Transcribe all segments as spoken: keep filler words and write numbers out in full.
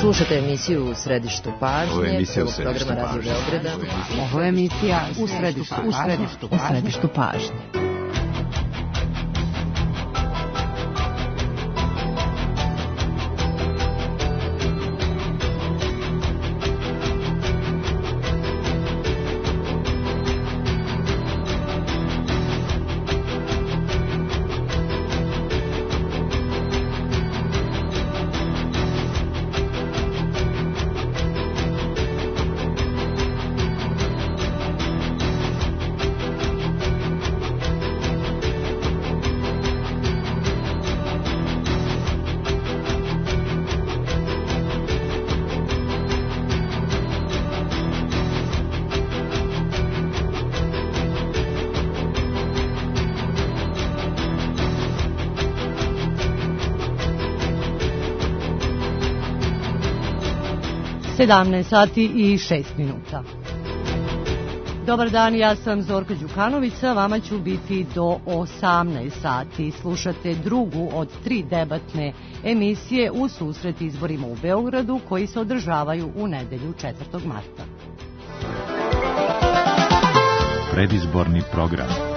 Slušate emisiju U središtu pažnje, Ovo je emisija U prvog središtu programa Radio pažnje. Beograda. Ovo je emisija U središtu, u središtu, u središtu pažnje. sedamnaest sati i šest minuta. Dobar dan, ja sam Zorka Đukanovića, vama ću biti do osamnaest sati. Slušate drugu od tri debatne emisije u susret izborima u Beogradu koji se održavaju u nedelju četvrtog marta. Predizborni program.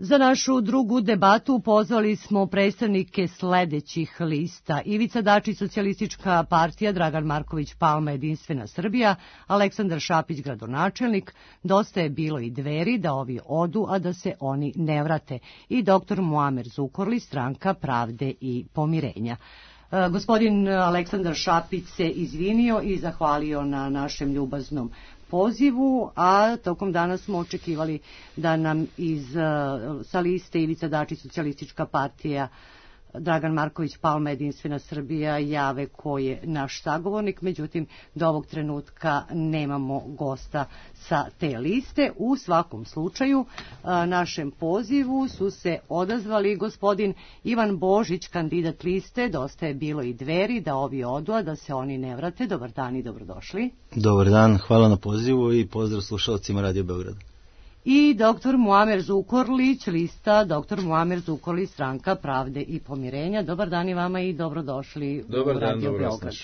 Za našu drugu debatu pozvali smo predstavnike sledećih lista: Ivica Dačić, Socijalistička partija, Dragan Marković Palma, Jedinstvena Srbija, Aleksandar Šapić, gradonačelnik, Dosta je bilo i Dveri, da ovi odu, a da se oni ne vrate, i doktor Muamer Zukorlić, Stranka pravde i pomirenja. E, gospodin Aleksandar Šapić se izvinio i zahvalio na našem ljubaznom pozivu, a tokom dana smo očekivali da nam iz, sa liste Ivica Dačić, Socijalistička partija, Dragan Marković Palma, Jedinstvena Srbija jave ko je naš sagovornik, međutim do ovog trenutka nemamo gosta sa te liste. U svakom slučaju našem pozivu su se odazvali gospodin Ivan Božić, kandidat liste Dosta je bilo i Dveri, da ovi odu, a da se oni ne vrate. Dobar dan i dobrodošli. Dobar dan, hvala na pozivu i pozdrav slušalcima Radio Beograda. I doktor Muamer Zukorlić, lista doktor Muamer Zukorlić, Stranka pravde i pomirenja. Dobar dan i vama i dobrodošli Dobar u dan, Radio dobro Beograd.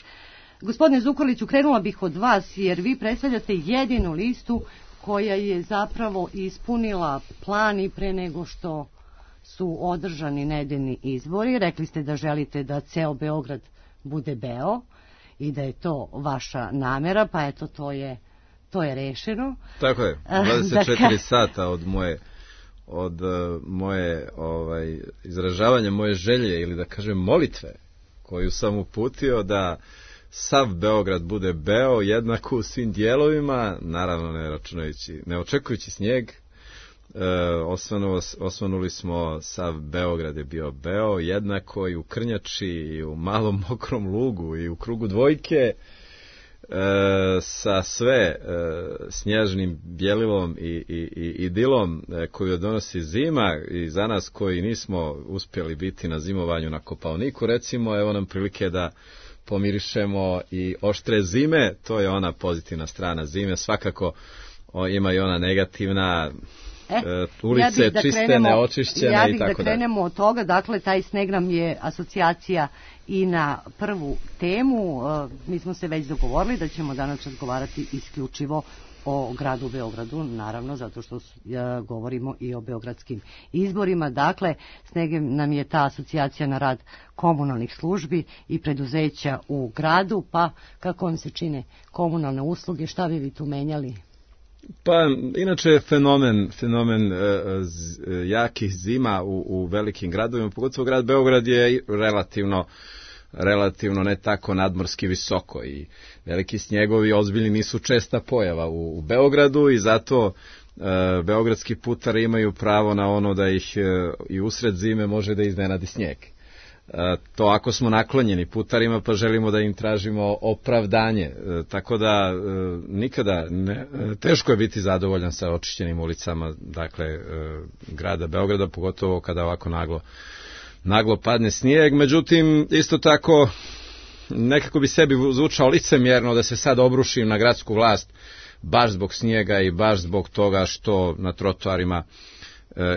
Gospodine Zukorliću, krenula bih od vas jer vi predstavljate jedinu listu koja je zapravo ispunila plan i pre nego što su održani nedeljni izbori. Rekli ste da želite da ceo Beograd bude beo i da je to vaša namera, pa eto to je To je rešeno. Tako je, dvadeset četiri sata od moje od uh, moje ovaj izražavanja moje želje ili da kažem molitve koju sam uputio da sav Beograd bude beo jednako u svim dijelovima, naravno ne računajući, ne očekujući snijeg. E, osvanuo, osvanuli smo, sav Beograd je bio beo jednako i u Krnjači i u Malom Mokrom Lugu i u krugu dvojke. E, sa sve e, snježnim bjelilom i, i, i idilom e, koju donosi zima, i za nas koji nismo uspjeli biti na zimovanju na Kopaoniku, recimo, evo nam prilike da pomirišemo i oštre zime. To je ona pozitivna strana zime. Svakako o, ima i ona negativna, E, e, ulice ja da čiste, krenemo, neočišćene ja i bih tako da krenemo od toga. Dakle, taj sneg nam je asocijacija i na prvu temu. E, mi smo se već dogovorili da ćemo danas razgovarati isključivo o gradu Beogradu, naravno, zato što e, govorimo i o beogradskim izborima. Dakle, sneg nam je ta asocijacija na rad komunalnih službi i preduzeća u gradu, pa kako vam se čine komunalne usluge, šta bi vi tu menjali? Pa, inače fenomen, fenomen e, z, jakih zima u, u velikim gradovima, pogotovo grad Beograd je relativno, relativno ne tako nadmorski visoko i veliki snjegovi ozbiljni nisu česta pojava u, u Beogradu i zato e, beogradski putari imaju pravo na ono da ih e, i usred zime može da iznenadi snijeg. E, to ako smo naklonjeni putarima pa želimo da im tražimo opravdanje, e, tako da e, nikada ne, e, teško je biti zadovoljan sa očišćenim ulicama, dakle e, grada Beograda, pogotovo kada ovako naglo naglo padne snijeg. Međutim, isto tako nekako bi sebi zvučao licemjerno da se sad obrušim na gradsku vlast baš zbog snijega i baš zbog toga što na trotoarima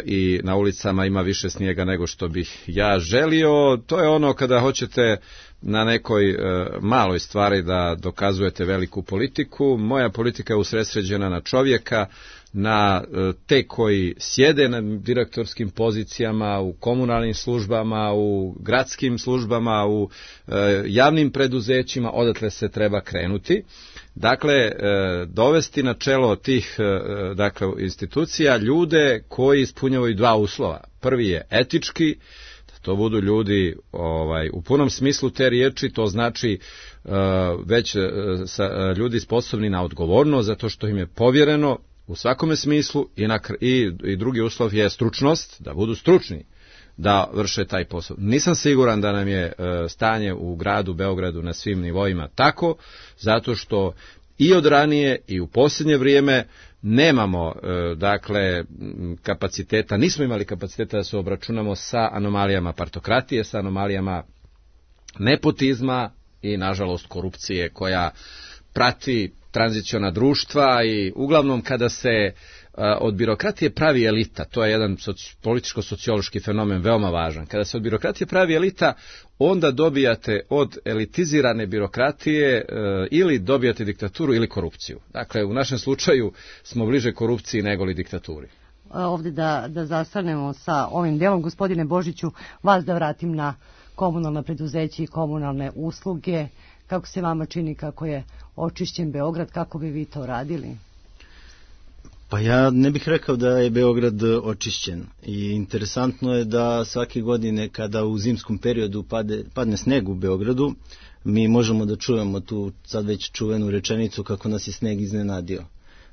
i na ulicama ima više snijega nego što bih ja želio. To je ono kada hoćete na nekoj maloj stvari da dokazujete veliku politiku. Moja politika je usredsređena na čovjeka, na te koji sjede na direktorskim pozicijama, u komunalnim službama, u gradskim službama, u javnim preduzećima, odatle se treba krenuti. Dakle, dovesti na čelo tih dakle, institucija ljude koji ispunjavaju dva uslova. Prvi je etički, da to budu ljudi ovaj, u punom smislu te riječi, to znači već sa, ljudi sposobni na odgovornost, zato što im je povjereno u svakome smislu i, na, i, i drugi uslov je stručnost, da budu stručni da vrše taj posao. Nisam siguran da nam je e, stanje u gradu Beogradu na svim nivoima tako, zato što i od ranije i u posljednje vrijeme nemamo e, dakle kapaciteta, nismo imali kapaciteta da se obračunamo sa anomalijama partokratije, sa anomalijama nepotizma i nažalost korupcije koja prati tranziciona društva i uglavnom kada se od birokratije pravi elita, to je jedan soci, političko-sociološki fenomen veoma važan, kada se od birokratije pravi elita, onda dobijate od elitizirane birokratije e, ili dobijate diktaturu ili korupciju. Dakle, u našem slučaju smo bliže korupciji nego li diktaturi. Ovdje da, da zastanemo sa ovim delom, gospodine Božiću, vas da vratim na komunalna preduzeća i komunalne usluge. Kako se vama čini kako je očišćen Beograd, kako bi vi to radili? Pa ja ne bih rekao da je Beograd očišćen i interesantno je da svake godine kada u zimskom periodu pade, padne sneg u Beogradu, mi možemo da čujemo tu sad već čuvenu rečenicu kako nas je sneg iznenadio.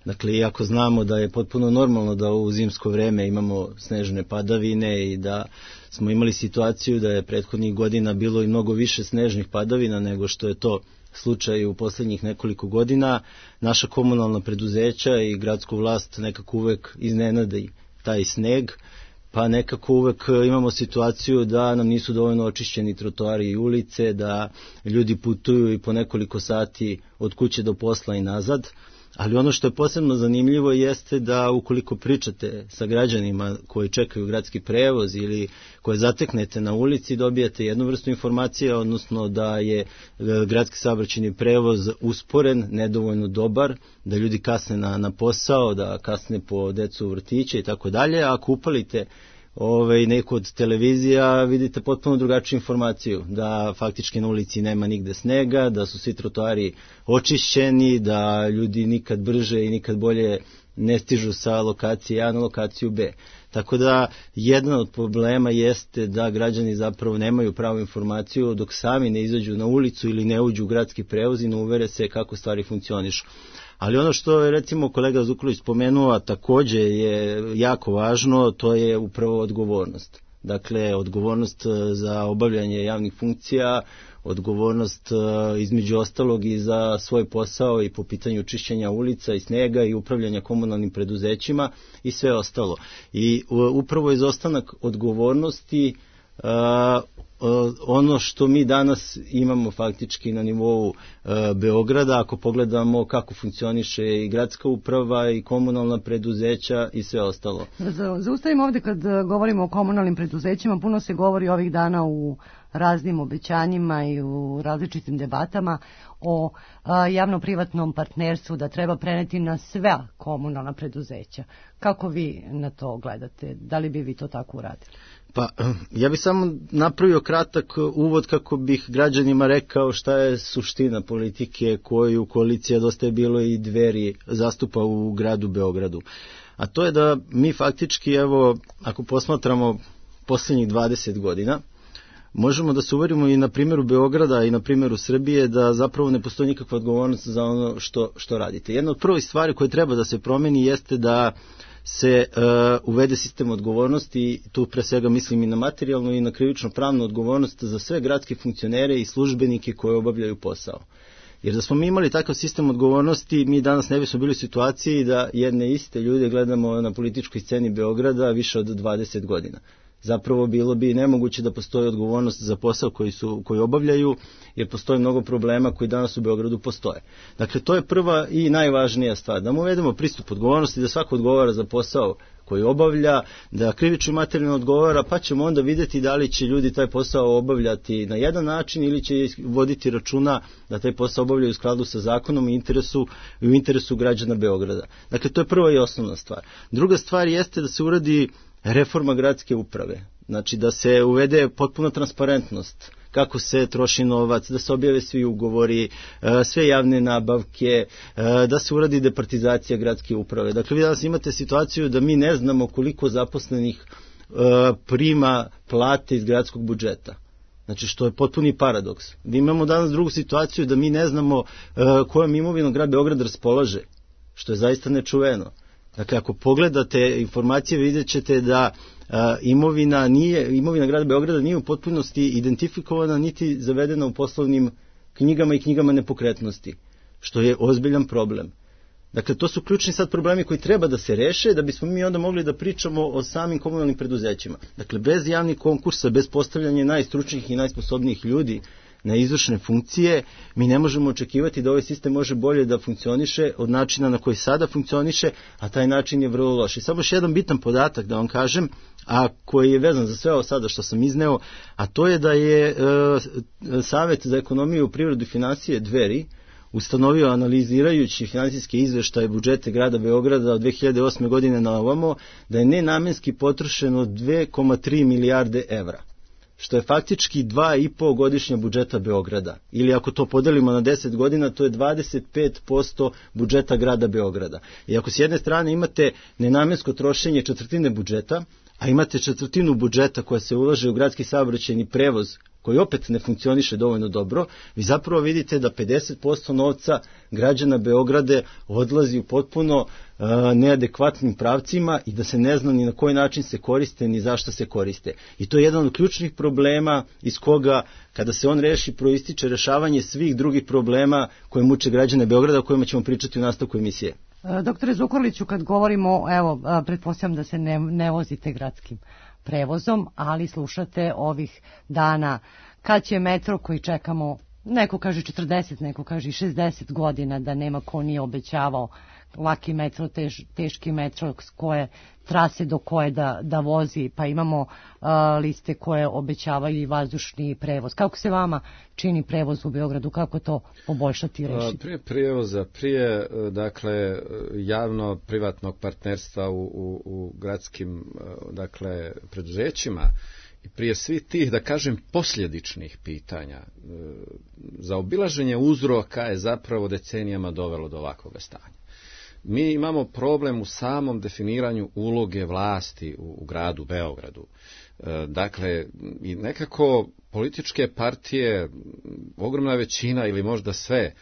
Dakle, iako znamo da je potpuno normalno da u zimsko vreme imamo snežne padavine i da smo imali situaciju da je prethodnih godina bilo i mnogo više snežnih padavina nego što je to slučaj u posljednjih nekoliko godina, naša komunalna preduzeća i gradsku vlast nekako uvek iznenadi taj sneg, pa nekako uvek imamo situaciju da nam nisu dovoljno očišćeni trotoari i ulice, da ljudi putuju i po nekoliko sati od kuće do posla i nazad. Ali ono što je posebno zanimljivo jeste da ukoliko pričate sa građanima koji čekaju gradski prevoz ili koje zateknete na ulici, dobijate jednu vrstu informacije, odnosno da je gradski saobraćajni prevoz usporen, nedovoljno dobar, da ljudi kasne na, na posao, da kasne po decu u vrtiće i tako dalje. A ako upalite Ove, neku od televizija vidite potpuno drugačiju informaciju, da faktički na ulici nema nigde snega, da su svi trotoari očišćeni, da ljudi nikad brže i nikad bolje ne stižu sa lokacije A na lokaciju B. Tako da jedan od problema jeste da građani zapravo nemaju pravu informaciju dok sami ne izađu na ulicu ili ne uđu u gradski prevoz i ne uvere se kako stvari funkcionišu. Ali ono što je recimo kolega Zukorlić spomenuo, a također je jako važno, to je upravo odgovornost. Dakle, odgovornost za obavljanje javnih funkcija, odgovornost između ostalog i za svoj posao i po pitanju čišćenja ulica i snega i upravljanja komunalnim preduzećima i sve ostalo. I upravo izostanak odgovornosti ono što mi danas imamo faktički na nivou e, Beograda, ako pogledamo kako funkcioniše i gradska uprava i komunalna preduzeća i sve ostalo. Zaustavimo ovdje kad govorimo o komunalnim preduzećima, puno se govori ovih dana u raznim obećanjima i u različitim debatama o a, javno-privatnom partnerstvu da treba preneti na sve komunalna preduzeća. Kako vi na to gledate? Da li bi vi to tako uradili? Pa, ja bih samo napravio kratak uvod kako bih građanima rekao šta je suština politike koju koalicija Dosta je bilo i Dveri zastupa u gradu Beogradu. A to je da mi faktički, evo, ako posmatramo posljednjih dvadeset godina, možemo da se uverimo i na primjeru Beograda i na primjeru Srbije da zapravo ne postoji nikakva odgovornost za ono što, što radite. Jedna od prvih stvari koje treba da se promeni jeste da se uh, uvede sistem odgovornosti, tu pre svega mislim i na materijalnu i na krivično pravnu odgovornost za sve gradske funkcionere i službenike koji obavljaju posao. Jer da smo mi imali takav sistem odgovornosti, mi danas ne bismo bili u situaciji da jedne iste ljude gledamo na političkoj sceni Beograda više od dvadeset godina. Zapravo bilo bi nemoguće da postoji odgovornost za posao koji su koji obavljaju, jer postoji mnogo problema koji danas u Beogradu postoje. Dakle, to je prva i najvažnija stvar, da mu uvedemo pristup odgovornosti, da svako odgovara za posao koji obavlja, da krivično materijalno odgovara, pa ćemo onda vidjeti da li će ljudi taj posao obavljati na jedan način ili će voditi računa da taj posao obavljaju u skladu sa zakonom i interesu, i u interesu građana Beograda. Dakle, to je prva i osnovna stvar. Druga stvar jeste da se uradi reforma gradske uprave. Znači da se uvede potpuna transparentnost kako se troši novac, da se objave svi ugovori, sve javne nabavke, da se uradi departizacija gradske uprave. Dakle, vi danas imate situaciju da mi ne znamo koliko zaposlenih prima plate iz gradskog budžeta. Znači, što je potpuni paradoks. Mi imamo danas drugu situaciju da mi ne znamo kojom imovinom grad Beograd raspolaže, što je zaista nečuveno. Dakle, ako pogledate informacije, vidjet ćete da a, imovina, nije, imovina grada Beograda nije u potpunosti identifikovana niti zavedena u poslovnim knjigama i knjigama nepokretnosti, što je ozbiljan problem. Dakle, to su ključni sad problemi koji treba da se reše da bismo mi onda mogli da pričamo o samim komunalnim preduzećima. Dakle, bez javnih konkursa, bez postavljanja najstručnijih i najsposobnijih ljudi na izvršne funkcije, mi ne možemo očekivati da ovaj sistem može bolje da funkcioniše od načina na koji sada funkcioniše, a taj način je vrlo loš. I samo još jedan bitan podatak da vam kažem, a koji je vezan za sve ovo sada što sam izneo, a to je da je e, Savet za ekonomiju, privredu i finansije Dveri ustanovio, analizirajući finansijske izveštaje budžete grada Beograda od dve hiljade osme godine na ovamo, da je nenamenski potrošeno dve zarez tri milijarde evra, što je faktički dva i po godišnja budžeta Beograda. Ili ako to podelimo na deset godina, to je dvadeset pet posto budžeta grada Beograda. I ako s jedne strane imate nenamensko trošenje četvrtine budžeta, a imate četvrtinu budžeta koja se ulaže u gradski saobraćajni prevoz, koji opet ne funkcioniše dovoljno dobro, vi zapravo vidite da pedeset posto novca građana Beograde odlazi u potpuno uh, neadekvatnim pravcima i da se ne zna ni na koji način se koriste, ni zašto se koriste. I to je jedan od ključnih problema iz koga, kada se on reši, proističe rešavanje svih drugih problema koje muče građane Beograda, o kojima ćemo pričati u nastavku emisije. Doktore Zukorliću, kad govorimo, evo, pretpostavljam da se ne, ne vozite gradskim prevozom, ali slušate ovih dana kad će metro koji čekamo, neko kaže četrdeset, neko kaže šezdeset godina, da nema ko nije obećavao laki metro, tež, teški metro, s koje trase do koje da, da vozi, pa imamo uh, liste koje obećavaju i vazdušni prevoz. Kako se vama čini prevoz u Beogradu, kako to poboljšati i rešiti? Prije prevoza, prije dakle javno-privatnog partnerstva u, u, u gradskim dakle preduzećima i prije svih tih, da kažem, posljedičnih pitanja, zaobilaženje uzroka je zapravo decenijama dovelo do ovakvog stanja. Mi imamo problem u samom definiranju uloge vlasti u, u gradu Beogradu. E, dakle, i nekako političke partije, ogromna većina ili možda sve, e,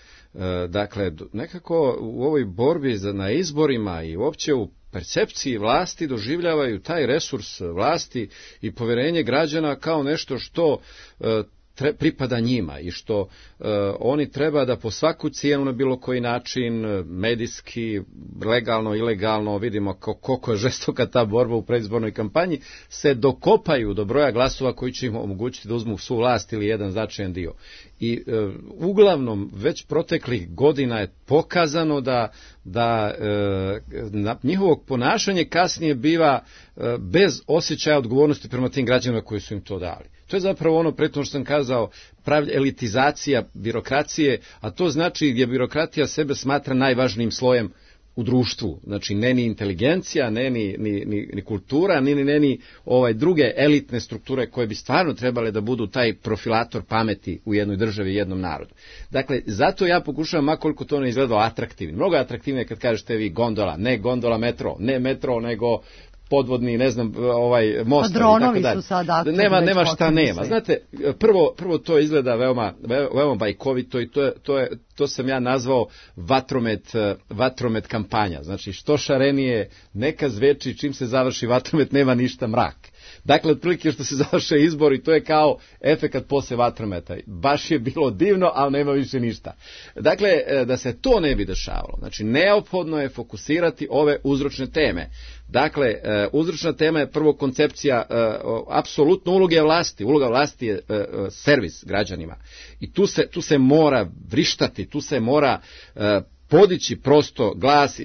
dakle, nekako u ovoj borbi za, na izborima i uopće u percepciji vlasti doživljavaju taj resurs vlasti i povjerenje građana kao nešto što e, Tre, pripada njima i što e, oni treba da po svaku cijenu na bilo koji način, medijski, legalno, ilegalno, vidimo koliko je žestoka ta borba u predizbornoj kampanji, se dokopaju do broja glasova koji će im omogućiti da uzmu svu vlast ili jedan značajan dio. I e, uglavnom već proteklih godina je pokazano da, da e, na, njihovog ponašanje kasnije biva e, bez osjećaja odgovornosti prema tim građanima koji su im to dali. To je zapravo ono prethodno što sam kazao, prav, elitizacija birokracije, a to znači gdje birokratija sebe smatra najvažnijim slojem u društvu. Znači, ne ni inteligencija, ne ni, ni, ni, ni kultura, ni, ni, ni ovaj, druge elitne strukture koje bi stvarno trebale da budu taj profilator pameti u jednoj državi i jednom narodu. Dakle, zato ja pokušavam, makoliko to ne izgledalo atraktivno. Mnogo atraktivnije kad kažete vi gondola, ne gondola metro, ne metro, nego podvodni, ne znam, ovaj most i tako dalje. Nema, nema šta nema. Znate, prvo, prvo to izgleda veoma, veoma bajkovito i to je, to je, to sam ja nazvao vatromet, vatromet kampanja. Znači, što šarenije, neka zveči, čim se završi vatromet, nema ništa mrak. Dakle, otprilike što se završe izbori, to je kao efekat posle vatrometa. Baš je bilo divno, ali nema više ništa. Dakle, da se to ne bi dešavalo, znači, neophodno je fokusirati ove uzročne teme. Dakle, uzročna tema je prvo koncepcija apsolutno uloge vlasti. Uloga vlasti je servis građanima. I tu se, tu se mora vrištati, tu se mora podići prosto glas,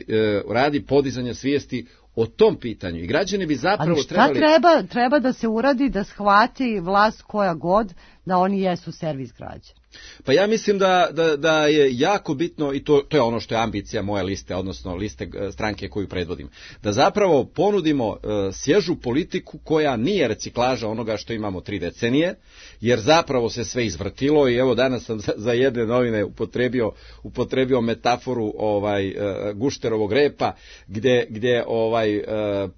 radi podizanja svijesti o tom pitanju i građani bi zapravo ali šta trebali... treba, treba da se uradi da shvati vlast koja god da oni jesu servis građana? Pa ja mislim da, da, da je jako bitno, i to, to je ono što je ambicija moje liste, odnosno liste stranke koju predvodim, da zapravo ponudimo uh, svježu politiku koja nije reciklaža onoga što imamo tri decenije, jer zapravo se sve izvrtilo i evo danas sam za, za jedne novine upotrebio, upotrebio metaforu ovaj, uh, gušterovog repa, gdje, gdje ovaj, uh,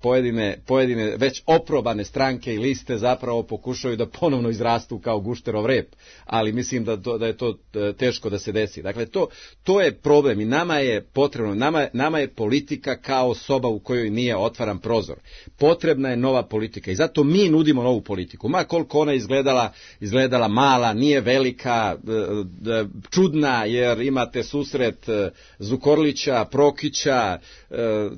pojedine, pojedine već oprobane stranke i liste zapravo pokušaju da ponovno izrastu kao gušterov rep, ali mislim da To, da je to teško da se desi. Dakle, to, to je problem i nama je potrebno, nama, nama je politika kao soba u kojoj nije otvaran prozor. Potrebna je nova politika i zato mi nudimo novu politiku. Ma koliko ona izgledala, izgledala mala, nije velika, čudna, jer imate susret Zukorlića, Prokića,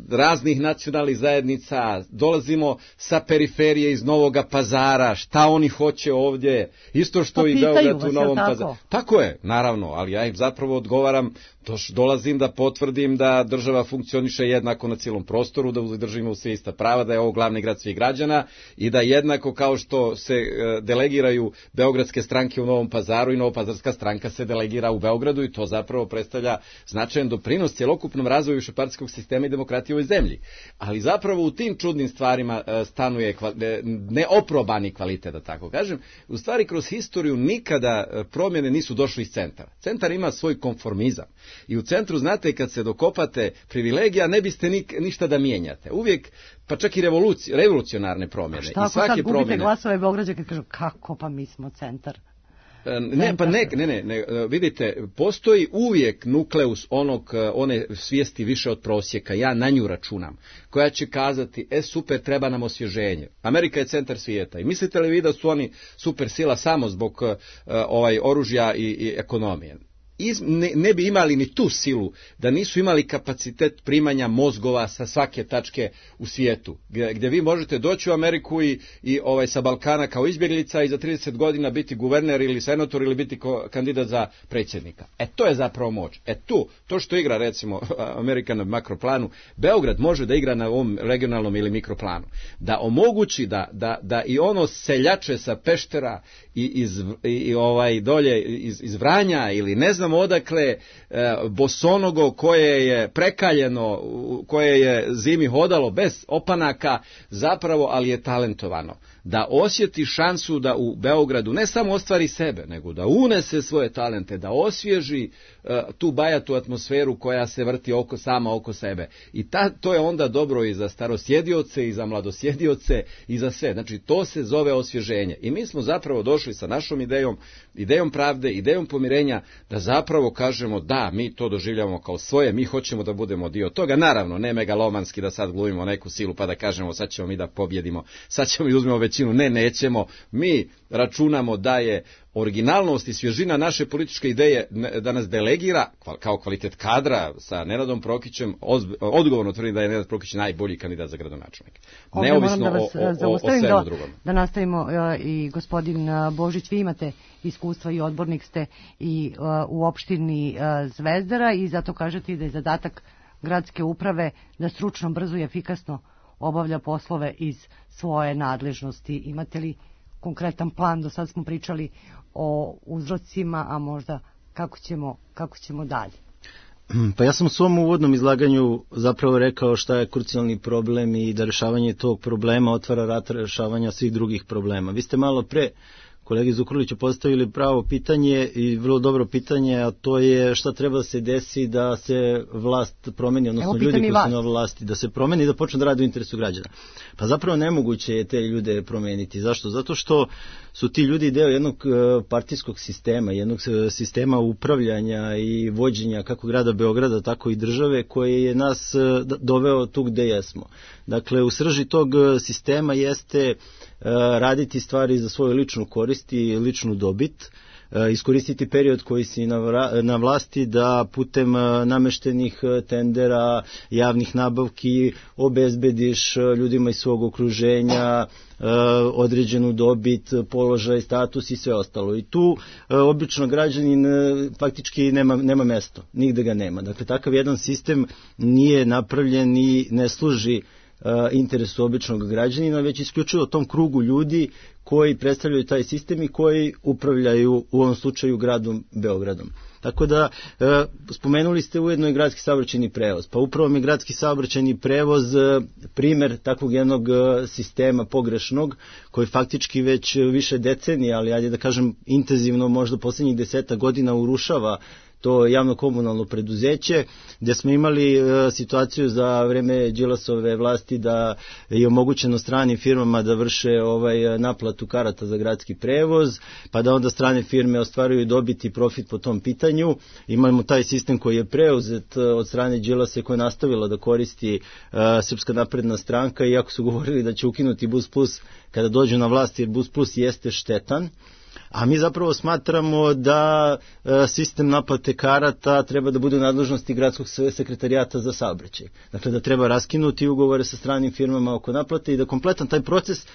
raznih nacionalnih zajednica, dolazimo sa periferije iz Novoga Pazara, šta oni hoće ovdje, isto što pa i Beograd u Novom Pazaru. Tako je, naravno, ali ja im zapravo odgovaram, doš, dolazim da potvrdim da država funkcioniše jednako na cijelom prostoru, da držimo sve ista prava, da je ovo glavni grad svih građana i da jednako kao što se e, delegiraju beogradske stranke u Novom Pazaru i Novopazarska stranka se delegira u Beogradu i to zapravo predstavlja značajan doprinos cjelokupnom razvoju višepartijskog sistema i demokratije u ovoj zemlji. Ali zapravo u tim čudnim stvarima e, stanuje kva, e, neoprobani kvalitet, da tako kažem. U stvari kroz historiju nikada promjene nisu došli iz centara. Centar ima svoj konformizam. I u centru, znate, kad se dokopate privilegija, ne biste ni, ništa da mijenjate. Uvijek, pa čak i revoluci, revolucionarne promjene. Šta ako sad gubite promjene... glasove Beograđa kad kažu kako pa mi smo centar? Ne, pa ne, ne, ne, ne, vidite, postoji uvijek nukleus onog, one svijesti više od prosjeka, ja na nju računam, koja će kazati, e super, treba nam osvježenje. Amerika je centar svijeta i mislite li vi da su oni super sila samo zbog uh, ovaj oružja i, i ekonomije? Iz, ne, ne bi imali ni tu silu da nisu imali kapacitet primanja mozgova sa svake tačke u svijetu, gdje, gdje vi možete doći u Ameriku i, i ovaj sa Balkana kao izbjeglica i za trideset godina biti guverner ili senator ili biti ko, kandidat za predsjednika. E to je zapravo moć. E tu, to što igra recimo Amerika na makroplanu, Beograd može da igra na ovom regionalnom ili mikroplanu. Da omogući da, da, da i ono seljače sa Peštera i, iz, i, i ovaj dolje iz, iz Vranja ili ne znam odakle e, bosonogo koje je prekaljeno, koje je zimi hodalo bez opanaka, zapravo, ali je talentovano. Da osjeti šansu da u Beogradu ne samo ostvari sebe, nego da unese svoje talente, da osvježi e, tu bajatu atmosferu koja se vrti oko sama oko sebe. I ta, to je onda dobro i za starosjedioce, i za mladosjedioce, i za sve. Znači, to se zove osvježenje. I mi smo zapravo došli sa našom idejom, idejom pravde, idejom pomirenja, da zapravo kažemo da, mi to doživljavamo kao svoje, mi hoćemo da budemo dio toga. Naravno, ne megalomanski da sad glumimo neku silu pa da kažemo sad ćemo mi da pobjedimo, sad ćemo i uzmemo većinu. Ne, nećemo. Mi računamo da je originalnost i svježina naše političke ideje da nas delegira kao kvalitet kadra sa Nenadom Prokićem. Odgovorno tvrdim da je Nenad Prokić najbolji kandidat za gradonačelnika. Neovisno da vas o, o, o, o svemu da, drugom. Da nastavimo uh, i gospodin Božić, vi imate iskustva i odbornik ste i uh, u opštini uh, Zvezdara i zato kažete da je zadatak gradske uprave da stručno, brzo i efikasno obavlja poslove iz svoje nadležnosti. Imate li konkretan plan? Do sad smo pričali o uzrocima, a možda kako ćemo, kako ćemo dalje. Pa ja sam u svom uvodnom izlaganju zapravo rekao šta je krucijalni problem i da rješavanje tog problema otvara vrata rješavanja svih drugih problema. Vi ste malo pre kolegi Zukorliću postavili pravo pitanje i vrlo dobro pitanje, a to je šta treba da se desi da se vlast promeni, odnosno ljudi koji su na vlasti, da se promeni i da počne da radi u interesu građana. Pa zapravo nemoguće je te ljude promeniti. Zašto? Zato što su ti ljudi deo jednog partijskog sistema, jednog sistema upravljanja i vođenja kako grada Beograda, tako i države, koje je nas doveo tu gde jesmo. Dakle, u srži tog sistema jeste raditi stvari za svoju ličnu korist i ličnu dobit, iskoristiti period koji si na vlasti da putem nameštenih tendera, javnih nabavki obezbediš ljudima iz svog okruženja određenu dobit, položaj, status i sve ostalo. I tu obično građanin faktički nema, nema mesto, nigde ga nema. Dakle, takav jedan sistem nije napravljen i ne služi interesu običnog građanina, već isključivo tom krugu ljudi koji predstavljaju taj sistem i koji upravljaju u ovom slučaju gradom Beogradom. Tako da, e, spomenuli ste ujedno i gradski saobraćajni prevoz. Pa upravo mi gradski saobraćajni prevoz e, primer takvog jednog e, sistema pogrešnog, koji faktički već više decenija, ali ajde da kažem intenzivno, možda poslednjih deseta godina urušava to javno komunalno preduzeće, gde smo imali e, situaciju za vreme Đilasove vlasti da je omogućeno stranim firmama da vrše ovaj naplatu karata za gradski prevoz, pa da onda strane firme ostvaruju dobit i profit po tom pitanju. Imamo taj sistem koji je preuzet od strane Đilasa, koja je nastavila da koristi e, Srpska napredna stranka, iako su govorili da će ukinuti Bus Plus kada dođu na vlast, jer Bus Plus jeste štetan. A mi zapravo smatramo da e, sistem naplate karata treba da bude u nadležnosti gradskog sekretarijata za saobraćaj. Dakle, da treba raskinuti ugovore sa stranim firmama oko naplate i da kompletan taj proces,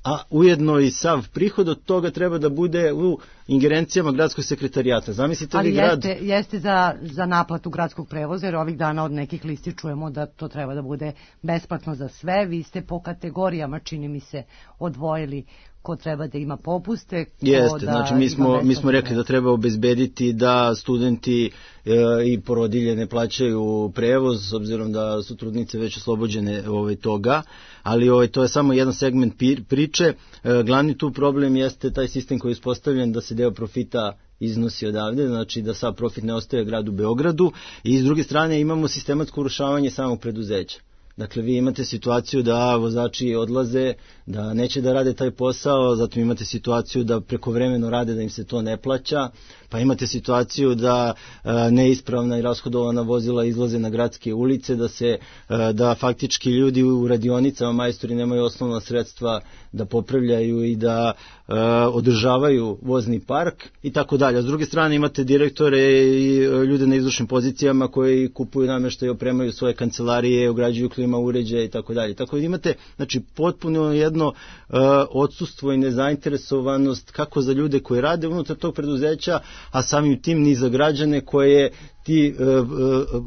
a ujedno i sav prihod od toga treba da bude u ingerencijama gradskog sekretarijata. Zamislite ali li grad... jeste, jeste za, za naplatu gradskog prevoza, jer ovih dana od nekih listi čujemo da to treba da bude besplatno za sve. Vi ste po kategorijama, čini mi se, odvojili ko treba da ima popuste. Ko Jeste, da znači mi smo, mi smo rekli da treba obezbediti da studenti e, i porodilje ne plaćaju prevoz, s obzirom da su trudnice već oslobođene ovaj, toga, ali ovaj, to je samo jedan segment priče. E, glavni tu problem jeste taj sistem koji je uspostavljen da se deo profita iznosi odavde, znači da sav profit ne ostaje gradu Beogradu, i s druge strane imamo sistematsko urušavanje samog preduzeća. Dakle, vi imate situaciju da vozači odlaze, da neće da rade taj posao, zato imate situaciju da prekovremeno rade, da im se to ne plaća, pa imate situaciju da a, neispravna i rashodovana vozila izlaze na gradske ulice, da se a, da faktički ljudi u radionicama, majstori, nemaju osnovna sredstva da popravljaju i da a, održavaju vozni park i tako dalje. A s druge strane imate direktore i ljude na izvršnim pozicijama koji kupuju namještaj, opremaju svoje kancelarije, ugrađuju klima uređaje i tako dalje. Tako da imate, znači, potpuno jedno uh, odsustvo i nezainteresovanost kako za ljude koji rade unutar tog preduzeća, a samim tim ni za građane koje ti uh, uh,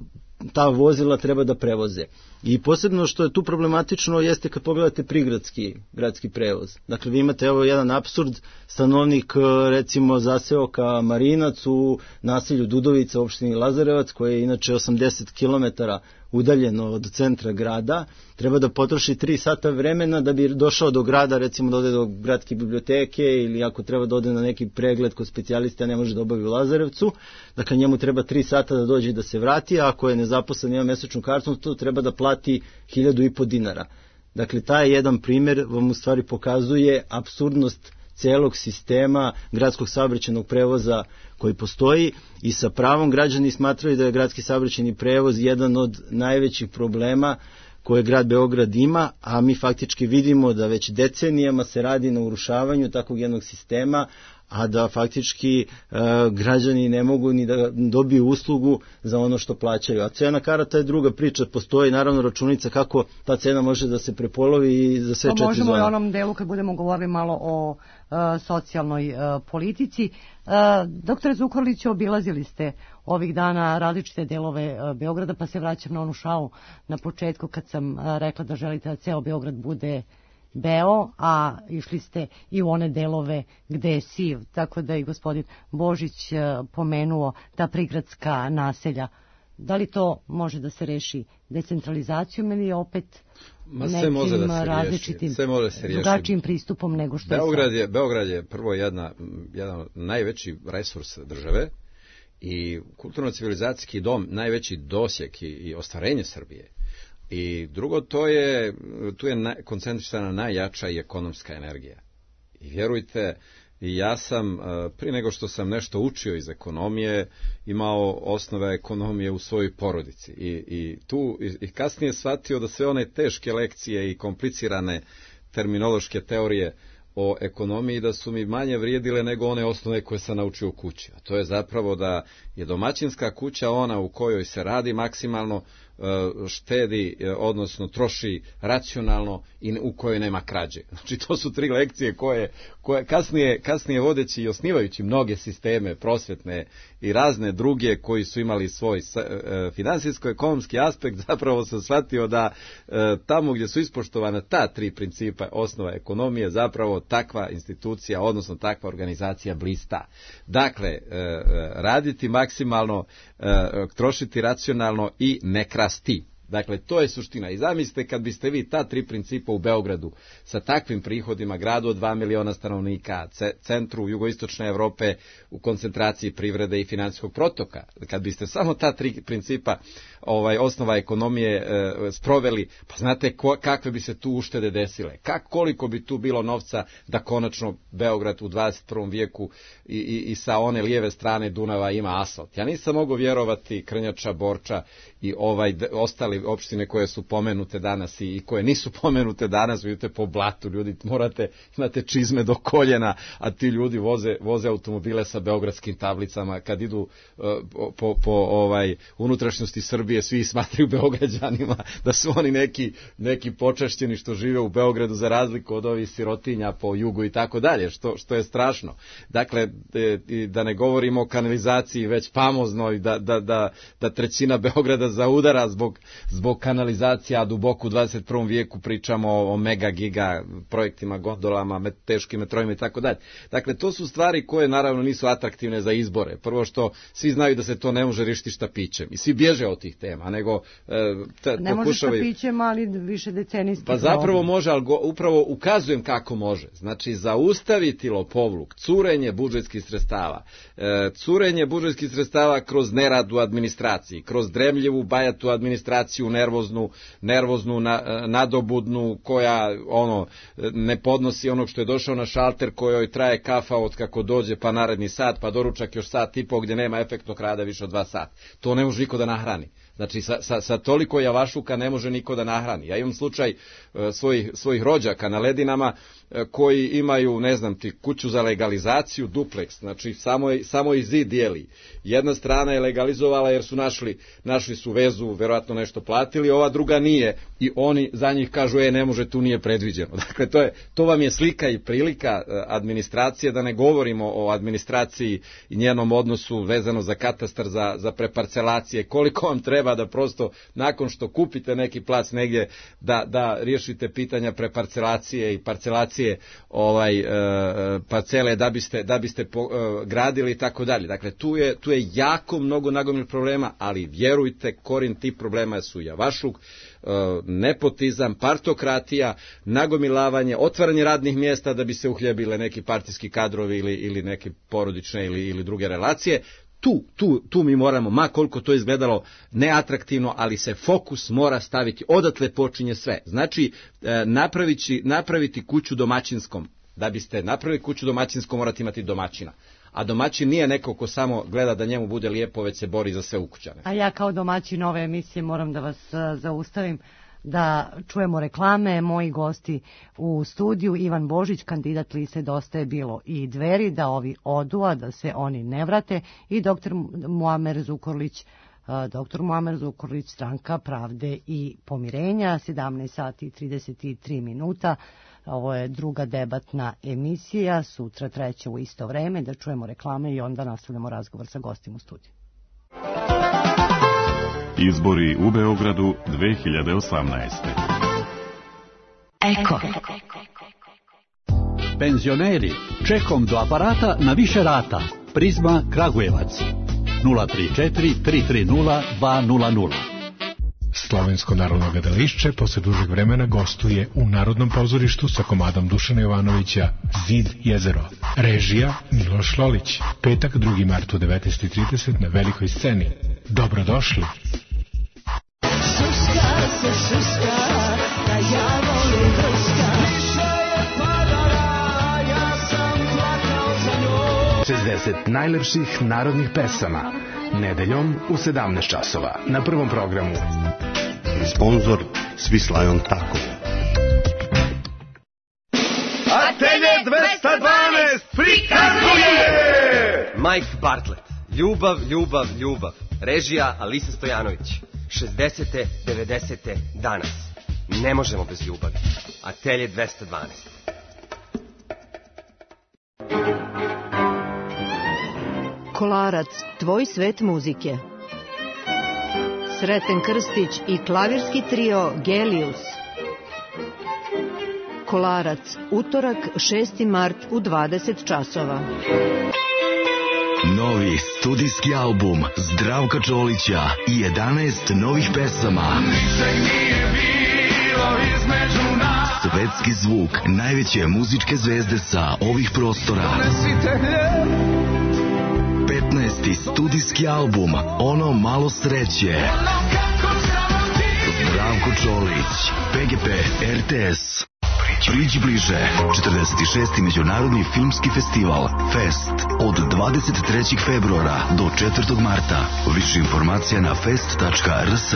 ta vozila treba da prevoze. I posebno što je tu problematično jeste kad pogledate prigradski gradski prevoz. Dakle, vi imate evo jedan apsurd, stanovnik recimo zaseoka Marinac u naselju Dudovica, opštini Lazarevac, koje je inače osamdeset kilometara udaljeno od centra grada, treba da potroši tri sata vremena da bi došao do grada, recimo da ode do gradske biblioteke, ili ako treba da ode na neki pregled kod specijalista, ne može da obavi u Lazarevcu, dakle njemu treba tri sata da dođe i da se vrati, a ako je nezaposlen i ima mesečnu kartu, to treba da plati hiljadu i po dinara. Dakle, taj jedan primjer vam u stvari pokazuje apsurdnost celog sistema gradskog saobraćajnog prevoza koji postoji, i sa pravom građani smatraju da je gradski saobraćajni prevoz jedan od najvećih problema koje grad Beograd ima, a mi faktički vidimo da već decenijama se radi na urušavanju takvog jednog sistema, a da faktički e, građani ne mogu ni da dobiju uslugu za ono što plaćaju. A cena karata je druga priča, postoji naravno računica kako ta cena može da se prepolovi i za sve četiri zone. Možemo i onom delu kad budemo govorili malo o e, socijalnoj e, politici. E, doktore Zukorliću, obilazili ste ovih dana različite delove e, Beograda, pa se vraćam na onu šalu na početku kad sam e, rekla da želite da ceo Beograd bude beo, a išli ste i u one delove gde je siv, tako da i gospodin Božić pomenuo ta prigradska naselja. Da li to može da se reši decentralizacijom ili opet Ma, nekim može da se različitim, sve može se drugačijim pristupom nego što Beograd je sad? Beograd je prvo jedna, jedan najveći resurs države i kulturno-civilizacijski dom, najveći dosjek i, i ostvarenje Srbije. I drugo, to je, tu je na, koncentrisana najjača i ekonomska energija. I vjerujte, ja sam, prije nego što sam nešto učio iz ekonomije, imao osnove ekonomije u svojoj porodici. I, i tu i, i kasnije shvatio da sve one teške lekcije i komplicirane terminološke teorije o ekonomiji da su mi manje vrijedile nego one osnove koje sam naučio u kući. A to je zapravo da je domaćinska kuća ona u kojoj se radi maksimalno, štedi, odnosno troši racionalno i u kojoj nema krađe. Znači to su tri lekcije koje, koje kasnije, kasnije vodeći i osnivajući mnoge sisteme prosvetne i razne druge koji su imali svoj finansijsko-ekonomski aspekt, zapravo sam shvatio da tamo gdje su ispoštovana ta tri principa osnova ekonomije, zapravo takva institucija, odnosno takva organizacija blista. Dakle, raditi maksimalno, trošiti racionalno i ne krasti. Dakle, to je suština. I zamislite kad biste vi ta tri principa u Beogradu sa takvim prihodima, gradu od dva miliona stanovnika, centru jugoistočne Evrope u koncentraciji privrede i finansijskog protoka, kad biste samo ta tri principa ovaj, osnova ekonomije e, sproveli, pa znate ko, kakve bi se tu uštede desile, Kak, koliko bi tu bilo novca da konačno Beograd u dvadeset prvom vijeku i, i, i sa one lijeve strane Dunava ima asfalt. Ja nisam mogao vjerovati Krnjača, Borča i ovaj ostali opštine koje su pomenute danas i, i koje nisu pomenute danas, vidite po blatu, ljudi morate, imate čizme do koljena, a ti ljudi voze, voze automobile sa beogradskim tablicama, kad idu uh, po, po ovaj, unutrašnjosti Srbije, svi smatraju Beograđanima da su oni neki, neki počašćeni što žive u Beogradu za razliku od ovih sirotinja po jugu i tako dalje, što, što je strašno. Dakle, e, da ne govorimo o kanalizaciji već famoznoj, da, da, da, da trećina Beograda zaudara zbog, zbog kanalizacija, a duboko u dvadeset prvom vijeku pričamo o, o mega giga projektima, gondolama, met, teškim metrojima i tako dalje. Dakle, to su stvari koje naravno nisu atraktivne za izbore. Prvo što svi znaju da se to ne može riješiti štapićem i svi bježe od tih tema, nego e, te, ne može štapićem, ali više decenijski. Pa zapravo može, ali go, upravo ukazujem kako može. Znači, zaustaviti lopovluk, curenje budžetskih sredstava, e, curenje budžetskih sredstava kroz nerad u administraciji, kroz dremljivu, bajatu administraciju, nervoznu, nervoznu na, nadobudnu, koja ono ne podnosi onog što je došao na šalter, kojoj traje kafa od kako dođe pa naredni sat, pa doručak još sat i po, gdje nema efektnog rada više od dva sata. To ne može niko da nahrani. Znači, sa, sa, sa toliko javašuka ne može niko da nahrani. Ja imam slučaj e, svojih, svojih rođaka na Ledinama e, koji imaju, ne znam ti, kuću za legalizaciju, dupleks, znači samo, samo i zid dijeli. Jedna strana je legalizovala jer su našli, našli su vezu, verovatno nešto platili, ova druga nije i oni za njih kažu, e, ne može, tu nije predviđeno. Dakle, to, je, to vam je slika i prilika administracije, da ne govorimo o administraciji i njenom odnosu vezano za katastar, za, za preparcelacije, koliko vam treba da prosto nakon što kupite neki plac negdje da, da riješite pitanja preparcelacije i parcelacije ovaj, e, parcele da biste, da biste po, e, gradili i tako dalje. Dakle, tu je, tu je jako mnogo nagomilnih problema, ali vjerujte, korin tih problema su javašluk, e, nepotizam, partokratija, nagomilavanje, otvaranje radnih mjesta da bi se uhljebile neki partijski kadrovi ili, ili neke porodične ili, ili druge relacije. Tu, tu, tu mi moramo, ma koliko to izgledalo neatraktivno, ali se fokus mora staviti, odatle počinje sve. Znači, e, napraviti, napraviti kuću domaćinskom. Da biste napravili kuću domaćinskom, morate imati domaćina. A domaćin nije neko ko samo gleda da njemu bude lijepo, već se bori za sve ukućane. A ja kao domaćin ove emisije moram da vas uh, zaustavim, da čujemo reklame. Moji gosti u studiju, Ivan Božić, kandidat liste Dosta je bilo i Dveri, da ovi odu, a da se oni ne vrate, i doktor Muamer Zukorlić, doktor Muamer Zukorlić, Stranka pravde i pomirenja, sedamnaest sati i trideset tri minuta. Ovo je druga debatna emisija, sutra treća u isto vreme, da čujemo reklame i onda nastavljamo razgovor sa gostima u studiju. Izbori u Beogradu dve hiljade osamnaeste. Eko. Penzioneri, čekom do aparata na više rata. Prizma Kragujevac. nula tri četiri tri tri nula dva nula nula. Slovensko narodno gledališće posle dužeg vremena gostuje u Narodnom pozorištu sa komadom Dušana Jovanovića Zid jezero. Režija Miloš Lolić. Petak drugi mart u devetnaest i trideset na velikoj sceni. Dobrodošli. Suska se suska, da ja volim vrska. Više je padala, ja sam plakao za njom. šezdeset najlepših narodnih pesama. Nedeljom u sedamnaest časova na Prvom programu. Sponzor Svislajon Tako. Atelje dvesta dvanaest prikazuje Mike Bartlett. Ljubav, ljubav, ljubav. Režija Alisa Stojanović. šezdesete, devedesete, danas. Ne možemo bez ljubavi. Atelje dvesta dvanaest. Kolarac, tvoj svet muzike. Sreten Krstić i klavirski trio Gelius. Kolarac, utorak šesti mart u dvadeset časova. Novi studijski album Zdravka Čolića i jedanaest novih pesama. Svetski zvuk najveće muzičke zvezde sa ovih prostora. petnaesti studijski album Ono malo sreće. Zdravko Čolić, P G P, R T S. Priđi bliže, četrdeset šesti Međunarodni filmski festival Fest od dvadeset trećeg februara do četvrtog marta. Više informacija na fest tačka r s.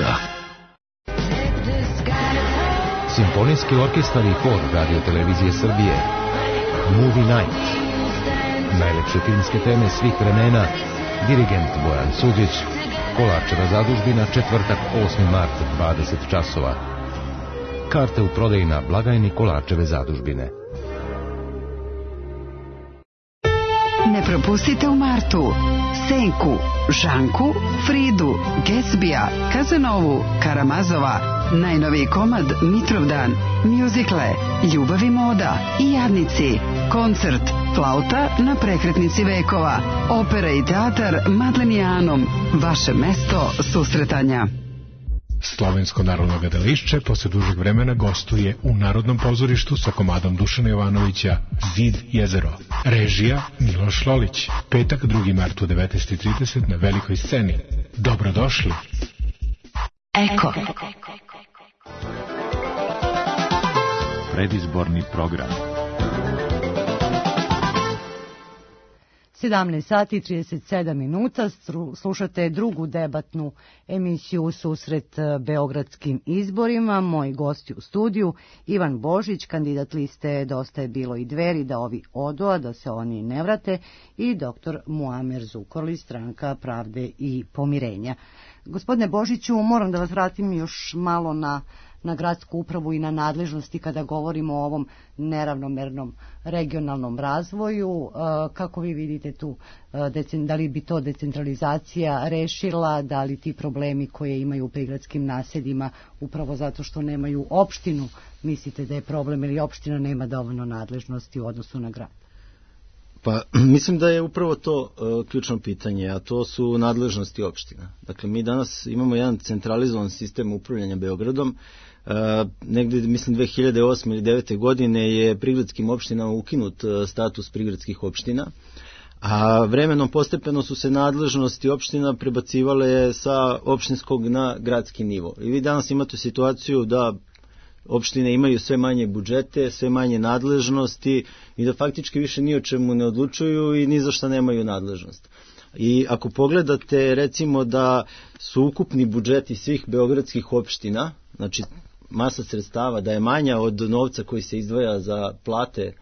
Simfonijski orkestar i hor Radio Televizije Srbije. Movie Night. Najlepše filmske teme svih vremena. Dirigent Bojan Suđić. Kolarčeva zadužbina, četvrtak osmi mart, dvadeset časova. Karte u prodaji na blagajni Kolarčeve zadužbine. Ne propustite u martu Senku, Žanku, Fridu, Gatsbija, Kazanovu, Karamazova, najnoviji komad Mitrovdan, mjuzikle, Ljubav i moda i Jadnici, koncert Flauta na prekretnici vekova, opera i teatar Madlenijanom, vaše mesto susretanja. Slovensko narodno gledališće posle dužeg vremena gostuje u Narodnom pozorištu sa komadom Dušana Jovanovića Zid jezero. Režija Miloš Lolić. Petak drugi mart u devetnaest i trideset na velikoj sceni. Dobrodošli. Eko. Predizborni program. sedamnaest sati i trideset sedam minuta, slušate drugu debatnu emisiju Susret beogradskim izborima. Moji gosti u studiju, Ivan Božić, kandidat liste Dosta je bilo i Dveri, da ovi odu, a da se oni ne vrate, i doktor Muamer Zukorlić, Stranka pravde i pomirenja. Gospodine Božiću, moram da vas vratim još malo na na gradsku upravu i na nadležnosti kada govorimo o ovom neravnomernom regionalnom razvoju. Kako vi vidite tu, da li bi to decentralizacija rešila, da li ti problemi koje imaju u prigradskim naseljima upravo zato što nemaju opštinu, mislite da je problem ili opština nema dovoljno nadležnosti u odnosu na grad? Pa mislim da je upravo to uh, ključno pitanje, a to su nadležnosti opština. Dakle, mi danas imamo jedan centralizovan sistem upravljanja Beogradom. Uh, negde, mislim, dve hiljade osme ili devete godine je prigradskim opštinama ukinut uh, status prigradskih opština, a vremenom postepeno su se nadležnosti opština prebacivale sa opštinskog na gradski nivo. I vi danas imate situaciju da opštine imaju sve manje budžete, sve manje nadležnosti i da faktički više ni o čemu ne odlučuju i ni za šta nemaju nadležnost. I ako pogledate, recimo, da su ukupni budžeti svih beogradskih opština, znači masa sredstava, da je manja od novca koji se izdvaja za plate e,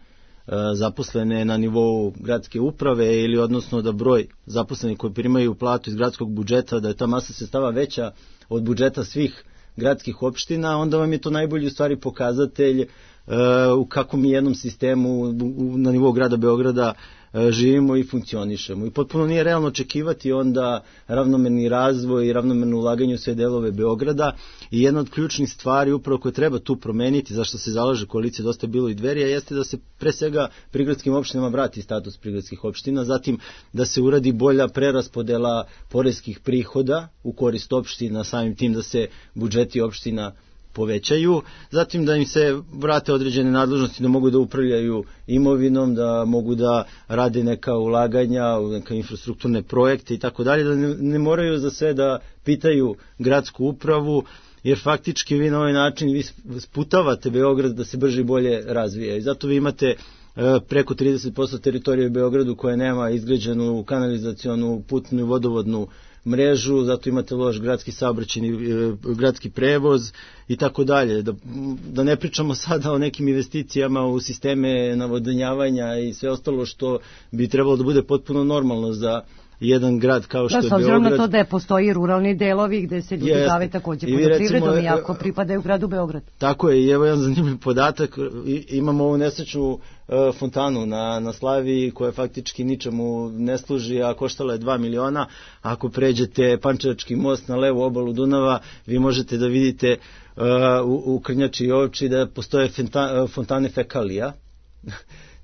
zaposlene na nivou gradske uprave, ili odnosno da broj zaposlenih koji primaju platu iz gradskog budžeta, da je ta masa sredstava veća od budžeta svih gradskih opština, onda vam je to najbolji u stvari pokazatelj uh, u kakvom jednom sistemu u, na nivou grada Beograda uh, živimo i funkcionišemo. I potpuno nije realno očekivati onda ravnomerni razvoj i ravnomerno ulaganje u sve delove Beograda. I jedna od ključnih stvari upravo koje treba tu promeniti, zašto se zalaže koalicija Dosta je bilo i Dveri, jeste da se pre svega prigradskim opštinama vrati status prigradskih opština, zatim da se uradi bolja preraspodela poreskih prihoda u korist opština, samim tim da se budžeti opština povećaju, zatim da im se vrate određene nadležnosti, da mogu da upravljaju imovinom, da mogu da rade neka ulaganja, neka infrastrukturne projekte i tako dalje, da ne, ne moraju za sve da pitaju gradsku upravu, jer faktički vi na ovaj način vi sputavate Beograd da se brže i bolje razvija. I zato vi imate preko trideset posto teritorije u Beogradu koja nema izgrađenu kanalizacionu, putnu i vodovodnu mrežu, zato imate loš gradski saobraćajni, gradski prevoz i tako dalje. Da, da ne pričamo sada o nekim investicijama u sisteme navodnjavanja i sve ostalo što bi trebalo da bude potpuno normalno za jedan grad kao što da, je Beograd. S obzirom na to da je postoji ruralni delovi gde se ljudi bave takođe poljoprivredom, iako pripadaju gradu Beograd. Tako je, i evo jedan zanimljiv podatak, imamo ovu nesrećnu fontanu na, na Slaviji koja faktički ničemu ne služi, a koštala je dva miliona. Ako pređete Pančevački most na levu obalu Dunava, vi možete da vidite uh, u, u Krnjači i Ovči da postoje fenta, fontane fekalija.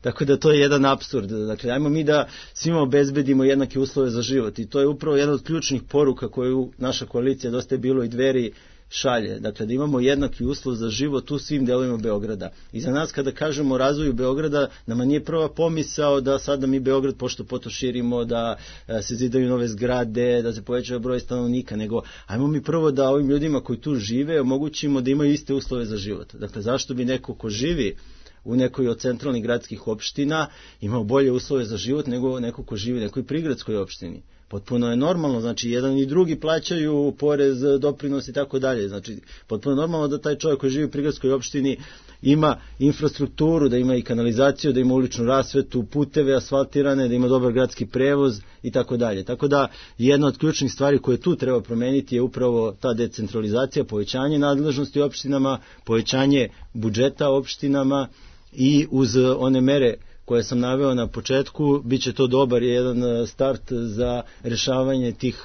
Tako da to je jedan apsurd. Dakle, ajmo mi da svima obezbedimo jednake uslove za život i to je upravo jedna od ključnih poruka koju naša koalicija, Dosta je bilo i Dveri, šalje. Dakle, da imamo jednaki uslov za život u svim delovima Beograda. I za nas kada kažemo o razvoju Beograda, nama nije prva pomisao da sada mi Beograd pošto poto širimo, da se zidaju nove zgrade, da se povećava broj stanovnika, nego ajmo mi prvo da ovim ljudima koji tu žive omogućimo da imaju iste uslove za život. Dakle, zašto bi neko ko živi u nekoj od centralnih gradskih opština imao bolje uslove za život nego neko ko živi u nekoj prigradskoj opštini? Potpuno je normalno, znači jedan i drugi plaćaju porez, doprinos i tako dalje. Znači, potpuno je normalno da taj čovjek koji živi u prigradskoj opštini ima infrastrukturu, da ima i kanalizaciju, da ima uličnu rasvetu, puteve asfaltirane, da ima dobar gradski prevoz i tako dalje. Tako da jedna od ključnih stvari koje tu treba promeniti je upravo ta decentralizacija, povećanje nadležnosti opštinama, povećanje budžeta opštinama i uz one mere koje sam naveo na početku, bit će to dobar jedan start za rešavanje tih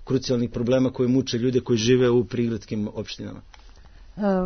krucijalnih problema koji muče ljude koji žive u prigradskim opštinama.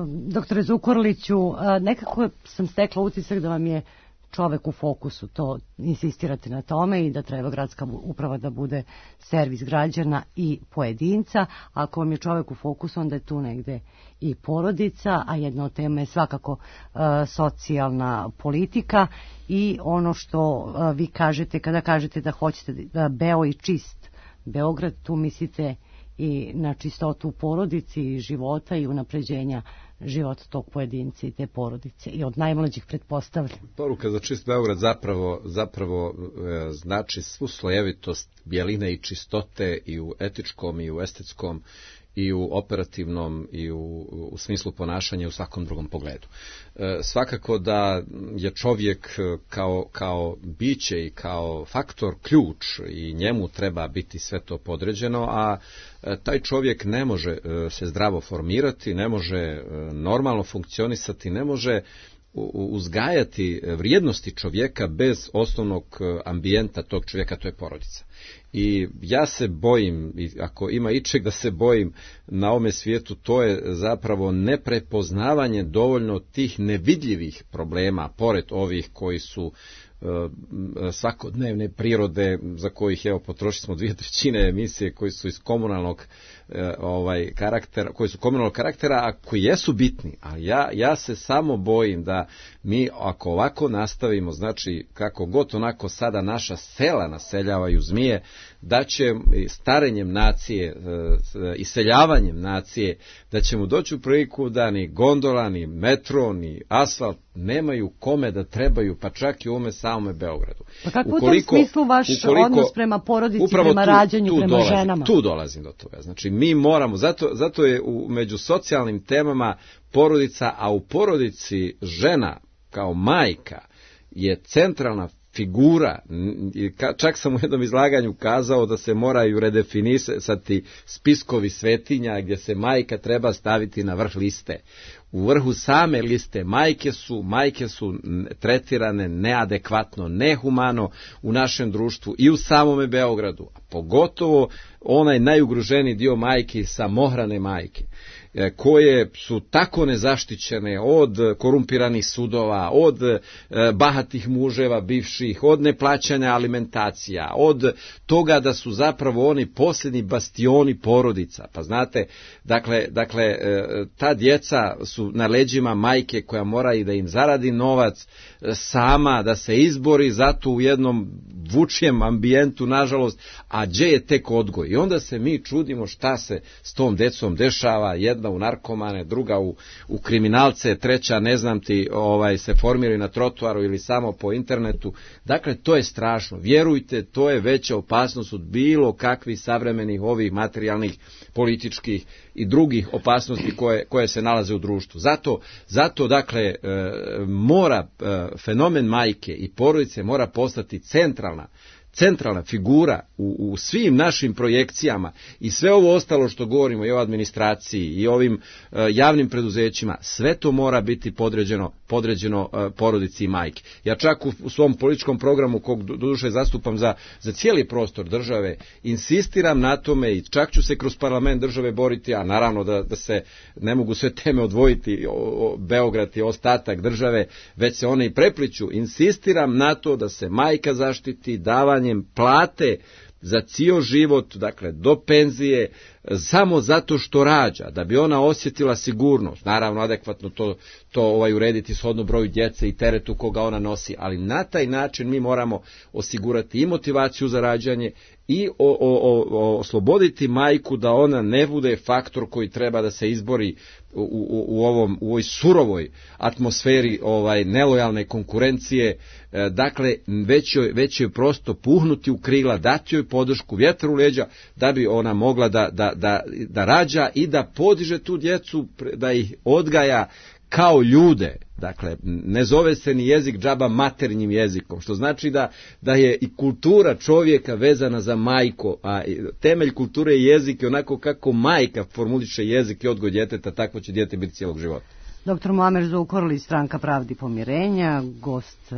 Doktore Zukorliću, nekako sam stekla utisak da vam je čovek u fokusu, to insistirate na tome i da treba gradska uprava da bude servis građana i pojedinca. Ako vam je čovek u fokusu, onda je tu negde i porodica, a jedna od tema je svakako uh, socijalna politika i ono što uh, vi kažete kada kažete da hoćete da beo i čist Beograd, tu mislite i na čistotu porodici i života i unapređenja života tog pojedinca i te porodice i od najmlađih pretpostavljam. Poruka za čist Beograd zapravo, zapravo e, znači svu slojevitost bjeline i čistote i u etičkom i u estetskom i u operativnom i u, u smislu ponašanja u svakom drugom pogledu. E, svakako da je čovjek kao, kao biće i kao faktor ključ i njemu treba biti sve to podređeno, a e, taj čovjek ne može e, se zdravo formirati, ne može e, normalno funkcionisati, ne može uzgajati vrijednosti čovjeka bez osnovnog ambijenta tog čovjeka, to je porodica. I ja se bojim, ako ima ičeg da se bojim na ovome svijetu, to je zapravo neprepoznavanje dovoljno tih nevidljivih problema, pored ovih koji su svakodnevne prirode, za kojih evo potrošili smo dvije trećine emisije koji su iz komunalnog ovaj karaktera, koji su komunalnog karaktera, a koji jesu bitni, ali ja, ja se samo bojim da mi ako ovako nastavimo, znači kako god onako sada naša sela naseljavaju zmije, da će starenjem nacije, iseljavanjem nacije, da ćemo doći u priliku da ni gondola, ni metro, ni asfalt nemaju kome da trebaju, pa čak i u ovome samome Beogradu. Pa kako u tom smislu vaš ukoliko, odnos prema porodici, prema tu, rađanju, tu prema dolazim, ženama? Tu dolazim do toga. Znači mi moramo, zato, zato je u, među socijalnim temama porodica, a u porodici žena kao majka je centralna figura. Čak sam u jednom izlaganju kazao da se moraju redefinisati spiskovi svetinja gdje se majka treba staviti na vrh liste. U vrhu same liste majke su, majke su tretirane neadekvatno, nehumano u našem društvu i u samome Beogradu, a pogotovo onaj najugroženiji dio majke, samohrane majke, koje su tako nezaštićene od korumpiranih sudova, od bahatih muževa bivših, od neplaćanja alimentacija, od toga da su zapravo oni posljednji bastioni porodica. Pa znate, dakle, dakle ta djeca su na leđima majke koja mora i da im zaradi novac sama, da se izbori zato u jednom vučijem ambijentu, nažalost, a gdje je tek odgoj? I onda se mi čudimo šta se s tom djecom dešava, jedna u narkomane, druga u, u kriminalce, treća, ne znam ti, ovaj, se formiraju na trotoaru ili samo po internetu. Dakle, to je strašno. Vjerujte, to je veća opasnost od bilo kakvih savremenih ovih materijalnih, političkih i drugih opasnosti koje, koje se nalaze u društvu. Zato, zato dakle, e, mora e, fenomen majke i porodice mora postati centralna centralna figura u, u svim našim projekcijama i sve ovo ostalo što govorimo i o administraciji i ovim uh, javnim preduzećima, sve to mora biti podređeno, podređeno uh, porodici i majke. Ja čak u, u svom političkom programu, kog doduše zastupam za, za cijeli prostor države, insistiram na tome i čak ću se kroz parlament države boriti, a naravno da, da se ne mogu sve teme odvojiti, o, o, Beograd i ostatak države, već se one i prepliću. Insistiram na to da se majka zaštiti davanjem plate za cijel život, dakle do penzije, samo zato što rađa, da bi ona osjetila sigurnost, naravno adekvatno to, to ovaj, urediti shodno broju djece i teretu koga ona nosi, ali na taj način mi moramo osigurati i motivaciju za rađanje i o, o, o, osloboditi majku da ona ne bude faktor koji treba da se izbori u, u, u, ovom, u ovoj surovoj atmosferi ovaj, nelojalne konkurencije, e, dakle već joj, već joj prosto puhnuti u krila, dati joj podršku, vjetar u leđa, da bi ona mogla da, da, da, da rađa i da podiže tu djecu, da ih odgaja kao ljude. Dakle, ne zove se ni jezik džaba maternjim jezikom, što znači da, da je i kultura čovjeka vezana za majko, a temelj kulture je jezik i onako kako majka formuliše jezik i odgoj djeteta, takvo će dijete biti cijelog života. Doktor Muamer Zukorlić, Stranka pravde i pomirenja, gost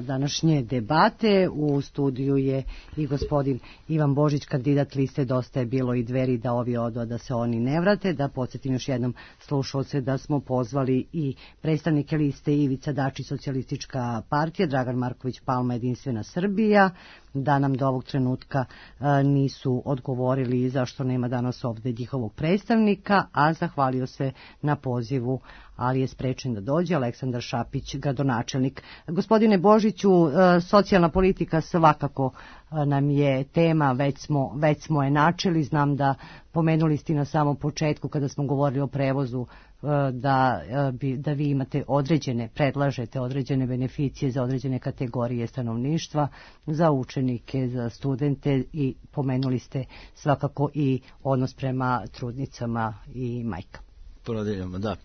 današnje debate. U studiju je i gospodin Ivan Božić, kandidat liste Dosta je bilo i Dveri, da ovi odo, da se oni ne vrate. Da podsjetim još jednom slušalce da smo pozvali i predstavnike liste Ivica Dačić, Socijalistička partija, Dragan Marković Palma, Jedinstvena Srbija, da nam do ovog trenutka a, nisu odgovorili zašto nema danas ovdje njihovog predstavnika, a zahvalio se na pozivu, ali je sprečen da dođe, Aleksandar Šapić, gradonačelnik. Gospodine Božiću, socijalna politika svakako nam je tema, već smo, već smo je načeli. Znam da pomenuli ste na samom početku kada smo govorili o prevozu da, da vi imate određene, predlažete određene beneficije za određene kategorije stanovništva, za učenike, za studente, i pomenuli ste svakako i odnos prema trudnicama i majkama. Porodiljama, da.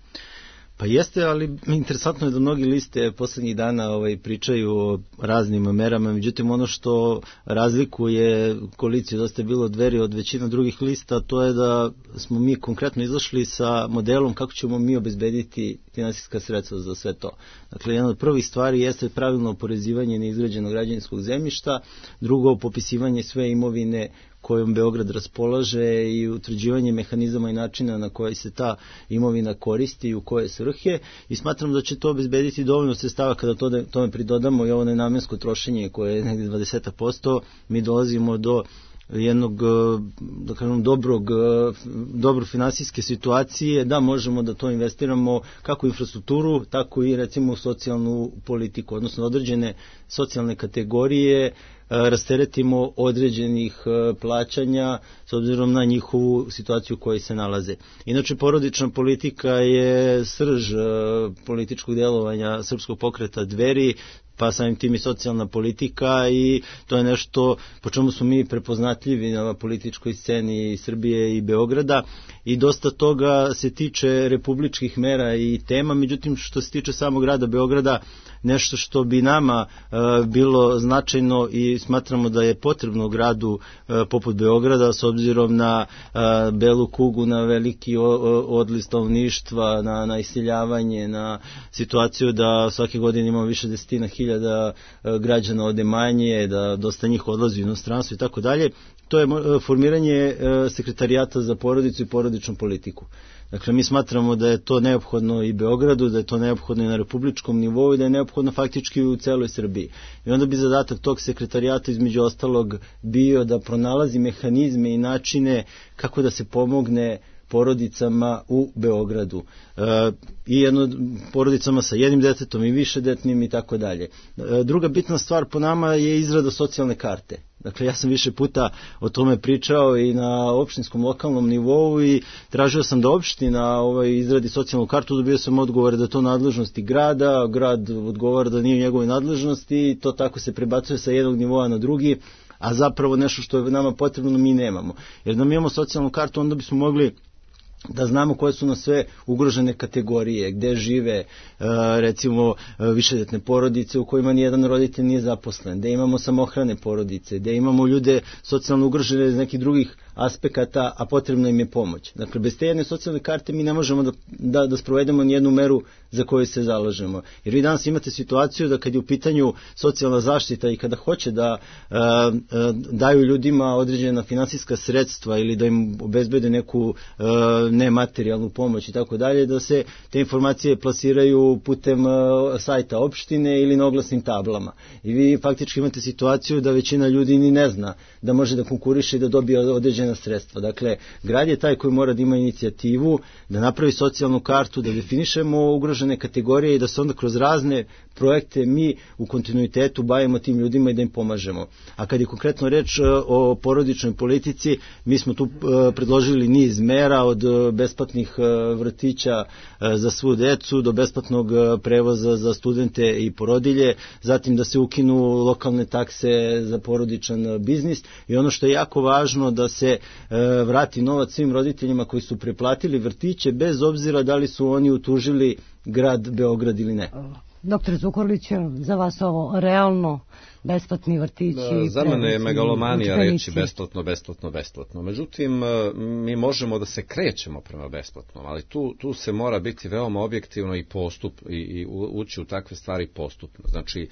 Pa jeste, ali interesantno je da mnogi liste posljednjih dana ovaj, pričaju o raznim merama, međutim ono što razlikuje koaliciju Dosta je bilo Dveri od većina drugih lista, to je da smo mi konkretno izašli sa modelom kako ćemo mi obezbediti finansijska sredstva za sve to. Dakle, jedna od prvih stvari jeste pravilno oporezivanje neizgrađenog građevinskog zemljišta, drugo popisivanje sve imovine kojom Beograd raspolaže i utvrđivanje mehanizama i načina na koji se ta imovina koristi i u koje svrhe, i smatram da će to obezbediti dovoljno sredstava kada to, tome pridodamo i ovo nenamensko trošenje koje je negdje dvadeset posto, mi dolazimo do jednog, da kažem, dobrog, dobro finansijske situacije, da možemo da to investiramo kako u infrastrukturu, tako i recimo u socijalnu politiku, odnosno određene socijalne kategorije rasteretimo određenih plaćanja s obzirom na njihovu situaciju u kojoj se nalaze. Inače, porodična politika je srž političkog djelovanja Srpskog pokreta Dveri, pa samim tim i socijalna politika, i to je nešto po čemu smo mi prepoznatljivi na političkoj sceni Srbije i Beograda, i dosta toga se tiče republičkih mera i tema, međutim što se tiče samog grada Beograda, nešto što bi nama uh, bilo značajno i smatramo da je potrebno gradu uh, poput Beograda, s obzirom na uh, belu kugu, na veliki o, o, odliv stanovništva, na, na iseljavanje, na situaciju da svake godine imamo više desetina hiljada uh, građana ode manje, da dosta njih odlazi u inostranstvo i tako dalje. To je uh, formiranje uh, sekretarijata za porodicu i porodičnu politiku. Dakle, mi smatramo da je to neophodno i Beogradu, da je to neophodno i na republičkom nivou i da je neophodno faktički u celoj Srbiji. I onda bi zadatak tog sekretarijata između ostalog bio da pronalazi mehanizme i načine kako da se pomogne porodicama u Beogradu. E, I jedno porodicama sa jednim detetom i višedetnim i tako dalje. Druga bitna stvar po nama je izrada socijalne karte. Dakle, ja sam više puta o tome pričao i na opštinskom lokalnom nivou i tražio sam da opština ovaj, izradi socijalnu kartu, dobio sam odgovor da to nadležnosti grada, grad odgovara da nije u njegovoj nadležnosti i to tako se prebacuje sa jednog nivoa na drugi, a zapravo nešto što je nama potrebno mi nemamo. Jer da mi imamo socijalnu kartu, onda bismo mogli da znamo koje su na sve ugrožene kategorije, gde žive recimo višedetne porodice u kojima nijedan roditelj nije zaposlen, gde imamo samohrane porodice, gde imamo ljude socijalno ugrožene iz nekih drugih aspekata, a potrebna im je pomoć. Dakle, bez te jedne socijalne karte mi ne možemo da, da, da sprovedemo nijednu meru za koju se zalažemo. Jer vi danas imate situaciju da kad je u pitanju socijalna zaštita i kada hoće da uh, uh, daju ljudima određena finansijska sredstva ili da im obezbede neku uh, nematerijalnu pomoć i tako dalje, da se te informacije plasiraju putem uh, sajta opštine ili na oglasnim tablama. I vi faktički imate situaciju da većina ljudi ni ne zna da može da konkuriše i da dobije određena sredstva. Dakle, grad je taj koji mora da ima inicijativu, da napravi socijalnu kartu, da definišemo ugrožene kategorije i da se onda kroz razne projekte mi u kontinuitetu bavimo tim ljudima i da im pomažemo. A kad je konkretno reč o porodičnoj politici, mi smo tu predložili niz mera od besplatnih vrtića za svu decu do besplatnog prevoza za studente i porodilje, zatim da se ukinu lokalne takse za porodičan biznis i ono što je jako važno da se vrati novac svim roditeljima koji su preplatili vrtiće bez obzira da li su oni utužili grad Beograd ili ne. Doktor Zukorlić, za vas ovo realno besplatni vrtići? Da, za mene je megalomanija reći besplatno, besplatno, besplatno. Međutim, mi možemo da se krećemo prema besplatnom, ali tu, tu se mora biti veoma objektivno i postup i, i ući u takve stvari postupno. Znači,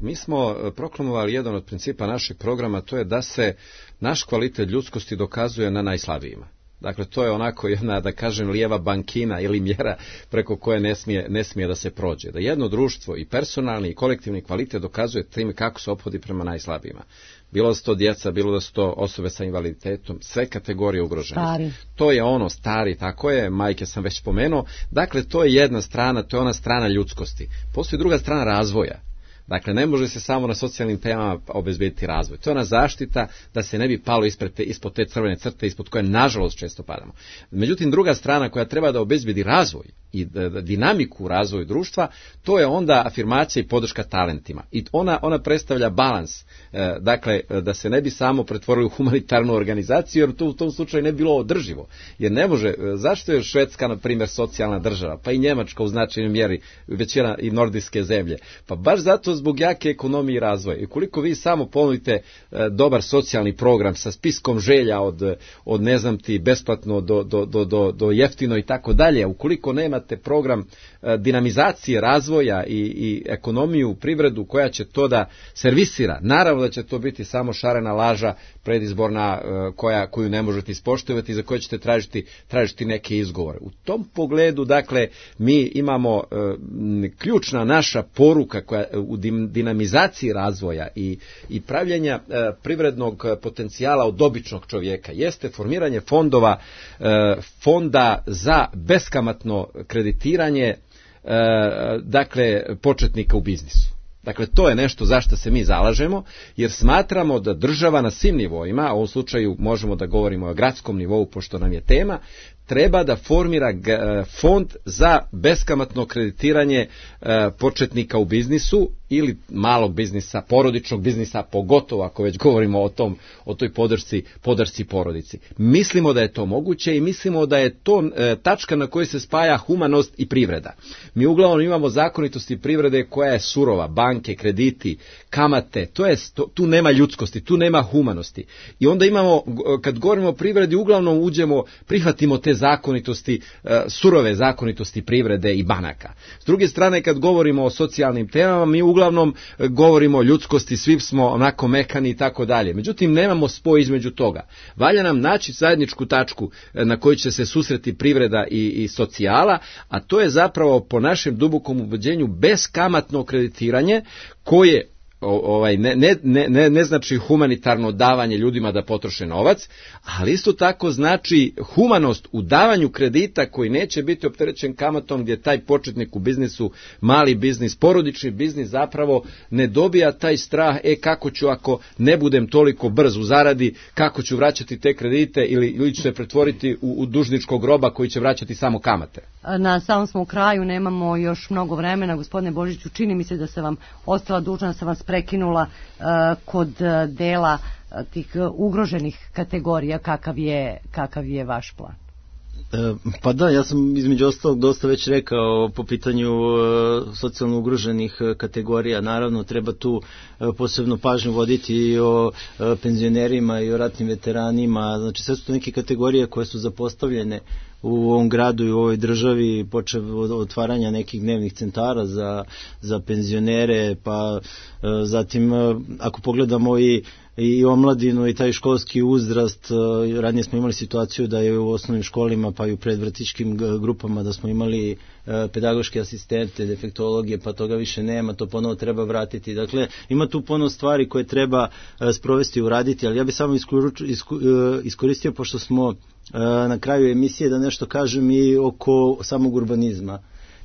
mi smo proklamovali jedan od principa našeg programa, to je da se naš kvalitet ljudskosti dokazuje na najslabijima. Dakle, to je onako jedna, da kažem, lijeva bankina ili mjera preko koje ne smije, ne smije da se prođe. Da jedno društvo i personalni i kolektivni kvalitet dokazuje time kako se ophodi prema najslabijima. Bilo da su to djeca, bilo da su to osobe sa invaliditetom, sve kategorije ugroženosti. To je ono stari, tako je, majke sam već spomenuo. Dakle, to je jedna strana, to je ona strana ljudskosti. Postoji druga strana razvoja. Dakle, ne može se samo na socijalnim temama obezbediti razvoj. To je ona zaštita da se ne bi palo ispred te, ispod te crvene crte, ispod koje nažalost često padamo. Međutim, druga strana koja treba da obezbedi razvoj i dinamiku u razvoju društva, to je onda afirmacija i podrška talentima. I ona, ona predstavlja balans, e, dakle, da se ne bi samo pretvorili u humanitarnu organizaciju, jer to u tom slučaju ne bi bilo održivo. Jer ne može, zašto je Švedska, na primjer, socijalna država, pa i Njemačka u značajnoj mjeri, većina i nordijske zemlje, pa baš zato zbog jake ekonomije i razvoja. I koliko vi samo ponudite e, dobar socijalni program sa spiskom želja od, od ne znam ti, besplatno do, do, do, do, do jeftino i tako dalje, ukoliko nema te program e, dinamizacije razvoja i, i ekonomiju, privredu koja će to da servisira. Naravno da će to biti samo šarena laža predizborna e, koja, koju ne možete ispoštovati i za koju ćete tražiti, tražiti neke izgovore. U tom pogledu, dakle, mi imamo e, ključna naša poruka koja u dinamizaciji razvoja i, i pravljenja e, privrednog potencijala od običnog čovjeka jeste formiranje fondova, e, fonda za beskamatno kreditiranje e, dakle početnika u biznisu. Dakle, to je nešto za što se mi zalažemo, jer smatramo da država na svim nivoima, a u ovom slučaju možemo da govorimo o gradskom nivou, pošto nam je tema, treba da formira fond za beskamatno kreditiranje e, početnika u biznisu ili malog biznisa, porodičnog biznisa, pogotovo ako već govorimo o tom, o toj podršci, podršci porodici. Mislimo da je to moguće i mislimo da je to e, tačka na kojoj se spaja humanost i privreda. Mi uglavnom imamo zakonitosti privrede koja je surova, banke, krediti, kamate, to je, to, tu nema ljudskosti, tu nema humanosti. I onda imamo, kad govorimo o privredi, uglavnom uđemo, prihvatimo te zakonitosti, e, surove zakonitosti privrede i banaka. S druge strane, kad govorimo o socijalnim temama, mi uglavnom govorimo o ljudskosti, svi smo onako mekani i tako dalje. Međutim, nemamo spoj između toga. Valja nam naći zajedničku tačku na kojoj će se susreti privreda i, i socijala, a to je zapravo po našem dubokom ubeđenju beskamatno kreditiranje koje ovaj ne, ne, ne, ne znači humanitarno davanje ljudima da potroše novac, ali isto tako znači humanost u davanju kredita koji neće biti opterećen kamatom, gdje taj početnik u biznisu, mali biznis, porodični biznis zapravo ne dobija taj strah, e kako ću ako ne budem toliko brz u zaradi, kako ću vraćati te kredite ili, ili ću se pretvoriti u, u dužničkog roba koji će vraćati samo kamate. Na samom smo kraju, nemamo još mnogo vremena. Gospodine Božiću, čini mi se da se vam ostala dužna, da sam vas prekinula uh, kod uh, dela uh, tih uh, ugroženih kategorija. Kakav je, kakav je vaš plan? Pa da, ja sam između ostalog dosta već rekao po pitanju socijalno ugroženih kategorija. Naravno, treba tu posebno pažnju voditi i o penzionerima i o ratnim veteranima. Znači, sve su to neke kategorije koje su zapostavljene u ovom gradu i u ovoj državi, počev od otvaranja nekih dnevnih centara za, za penzionere, pa zatim ako pogledamo i i omladinu i taj školski uzrast, ranije smo imali situaciju da je u osnovnim školima pa i u predvrtićkim grupama da smo imali pedagoške asistente, defektologije, pa toga više nema, to ponovo treba vratiti. Dakle, ima tu puno stvari koje treba sprovesti i uraditi, ali ja bih samo iskoristio, pošto smo na kraju emisije, da nešto kažem i oko samog urbanizma,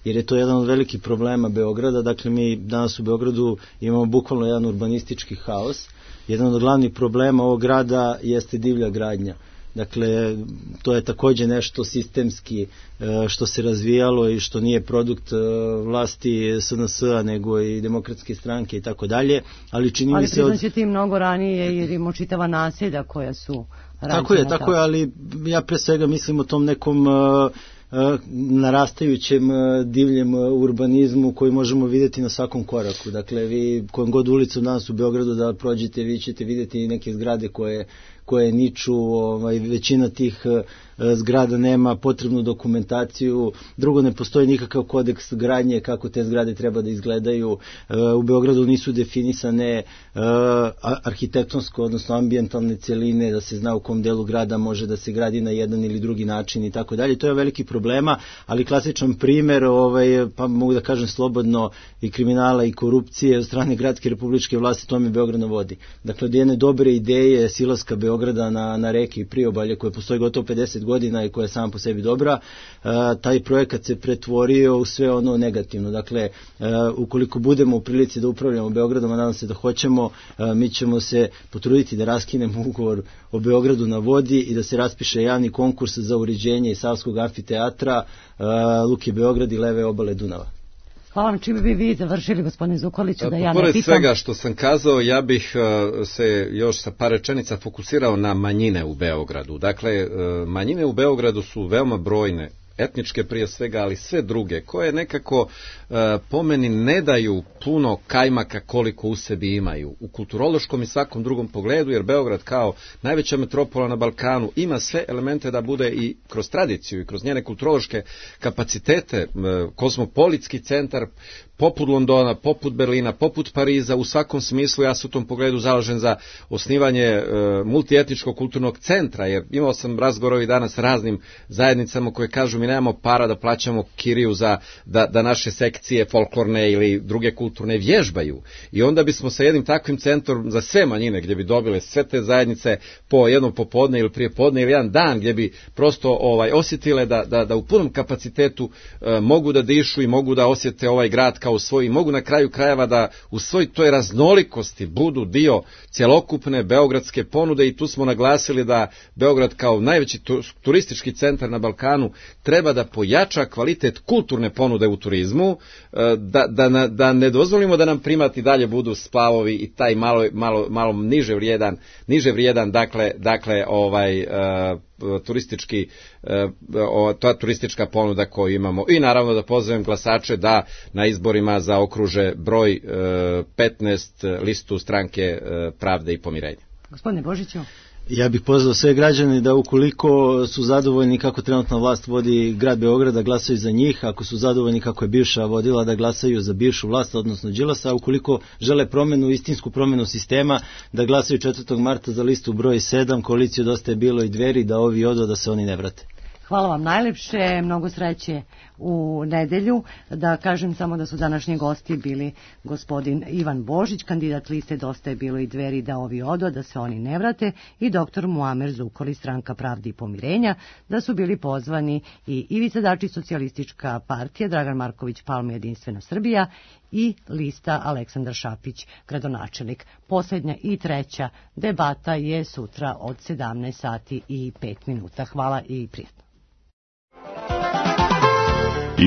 jer je to jedan od velikih problema Beograda. Dakle, mi danas u Beogradu imamo bukvalno jedan urbanistički haos. Jedan od glavnih problema ovog grada jeste divlja gradnja. Dakle, to je također nešto sistemski što se razvijalo i što nije produkt vlasti S N S-a, nego i demokratske stranke i tako dalje. Ali čini mi se... Ali priznaćete i mnogo ranije, jer imamo čitava naselja koja su rađena. Tako je, tako je, ali ja pre svega mislim o tom nekom narastajućem divljem urbanizmu koji možemo vidjeti na svakom koraku. Dakle, vi kojom god ulicu danas u Beogradu da prođete, vi ćete vidjeti neke zgrade koje koje niču, ovaj, većina tih zgrada nema potrebnu dokumentaciju, drugo, ne postoji nikakav kodeks gradnje kako te zgrade treba da izgledaju, u Beogradu nisu definisane arhitektonsko, odnosno ambijentalne cjeline, da se zna u kom delu grada može da se gradi na jedan ili drugi način i tako dalje. To je veliki problema, ali klasičan primjer, ovaj, pa mogu da kažem slobodno, i kriminala i korupcije od strane gradske republičke vlasti, to mi Beograd na vodi. Dakle, od jedne dobre ideje silaska Beograda na, na reke i priobalje koje postoji gotovo pedeset godina i koja je sama po sebi dobra, taj projekat se pretvorio u sve ono negativno. Dakle, ukoliko budemo u prilici da upravljamo Beogradom, a nadam se da hoćemo, mi ćemo se potruditi da raskinemo ugovor o Beogradu na vodi i da se raspiše javni konkurs za uređenje i Savskog amfiteatra, Luke Beograd i leve obale Dunava. Hvala vam, čime bi vi završili, gospodine Zukoliću, da ja ne Pored pitam. svega što sam kazao, ja bih uh, se još sa par rečenica fokusirao na manjine u Beogradu. Dakle, uh, manjine u Beogradu su veoma brojne, etničke prije svega, ali sve druge, koje nekako uh, po meni ne daju puno kajmaka koliko u sebi imaju. U kulturološkom i svakom drugom pogledu, jer Beograd kao najveća metropola na Balkanu ima sve elemente da bude i kroz tradiciju i kroz njene kulturološke kapacitete, uh, kozmopolitski centar, poput Londona, poput Berlina, poput Pariza, u svakom smislu ja se u tom pogledu zalažem za osnivanje e, multietničkog kulturnog centra, jer imao sam razgovor danas s raznim zajednicama koje kažu mi nemamo para da plaćamo kiriju za da, da naše sekcije folklorne ili druge kulturne vježbaju. I onda bismo sa jednim takvim centrom za sve manjine, gdje bi dobile sve te zajednice po jednom popodne ili prijepodne ili jedan dan, gdje bi prosto ovaj osjetile da, da, da u punom kapacitetu e, mogu da dišu i mogu da osjete ovaj grad kao svoj, mogu na kraju krajeva da u svoj toj raznolikosti budu dio cjelokupne beogradske ponude. I tu smo naglasili da Beograd kao najveći turistički centar na Balkanu treba da pojača kvalitet kulturne ponude u turizmu, da, da, da ne dozvolimo da nam primati dalje budu splavovi i taj malo, malo, malo niže vrijedan, niže vrijedan dakle, dakle ovaj uh, turistički uh, ta turistička ponuda koju imamo. I naravno da pozovem glasače da na izborima zaokruže broj uh, petnaest listu stranke uh, Pravde i pomirenja. Gospodine Božiću. Ja bih pozvao sve građane da ukoliko su zadovoljni kako trenutna vlast vodi grad Beograd, da glasaju za njih, ako su zadovoljni kako je bivša vodila, da glasaju za bivšu vlast, odnosno Đilasa, a ukoliko žele promenu, istinsku promenu sistema, da glasaju četvrtog marta za listu broj sedam, koaliciju Dosta je bilo i Dveri, da ovi odu, da se oni ne vrate. Hvala vam najlepše, mnogo sreće u nedelju. Da kažem samo da su današnji gosti bili gospodin Ivan Božić, kandidat liste Dosta je bilo i Dveri, da ovi odu, da se oni ne vrate, i doktor Muamer Zukorlić, stranka Pravde i pomirenja, da su bili pozvani i Ivica Dačić, socijalistička partija, Dragan Marković Palma, Jedinstvena Srbija, i lista Aleksandar Šapić, gradonačelnik. Posljednja i treća debata je sutra od sedamnaest sati i pet minuta. Hvala i prijatno.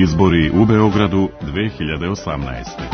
Izbori u Beogradu dve hiljade osamnaeste.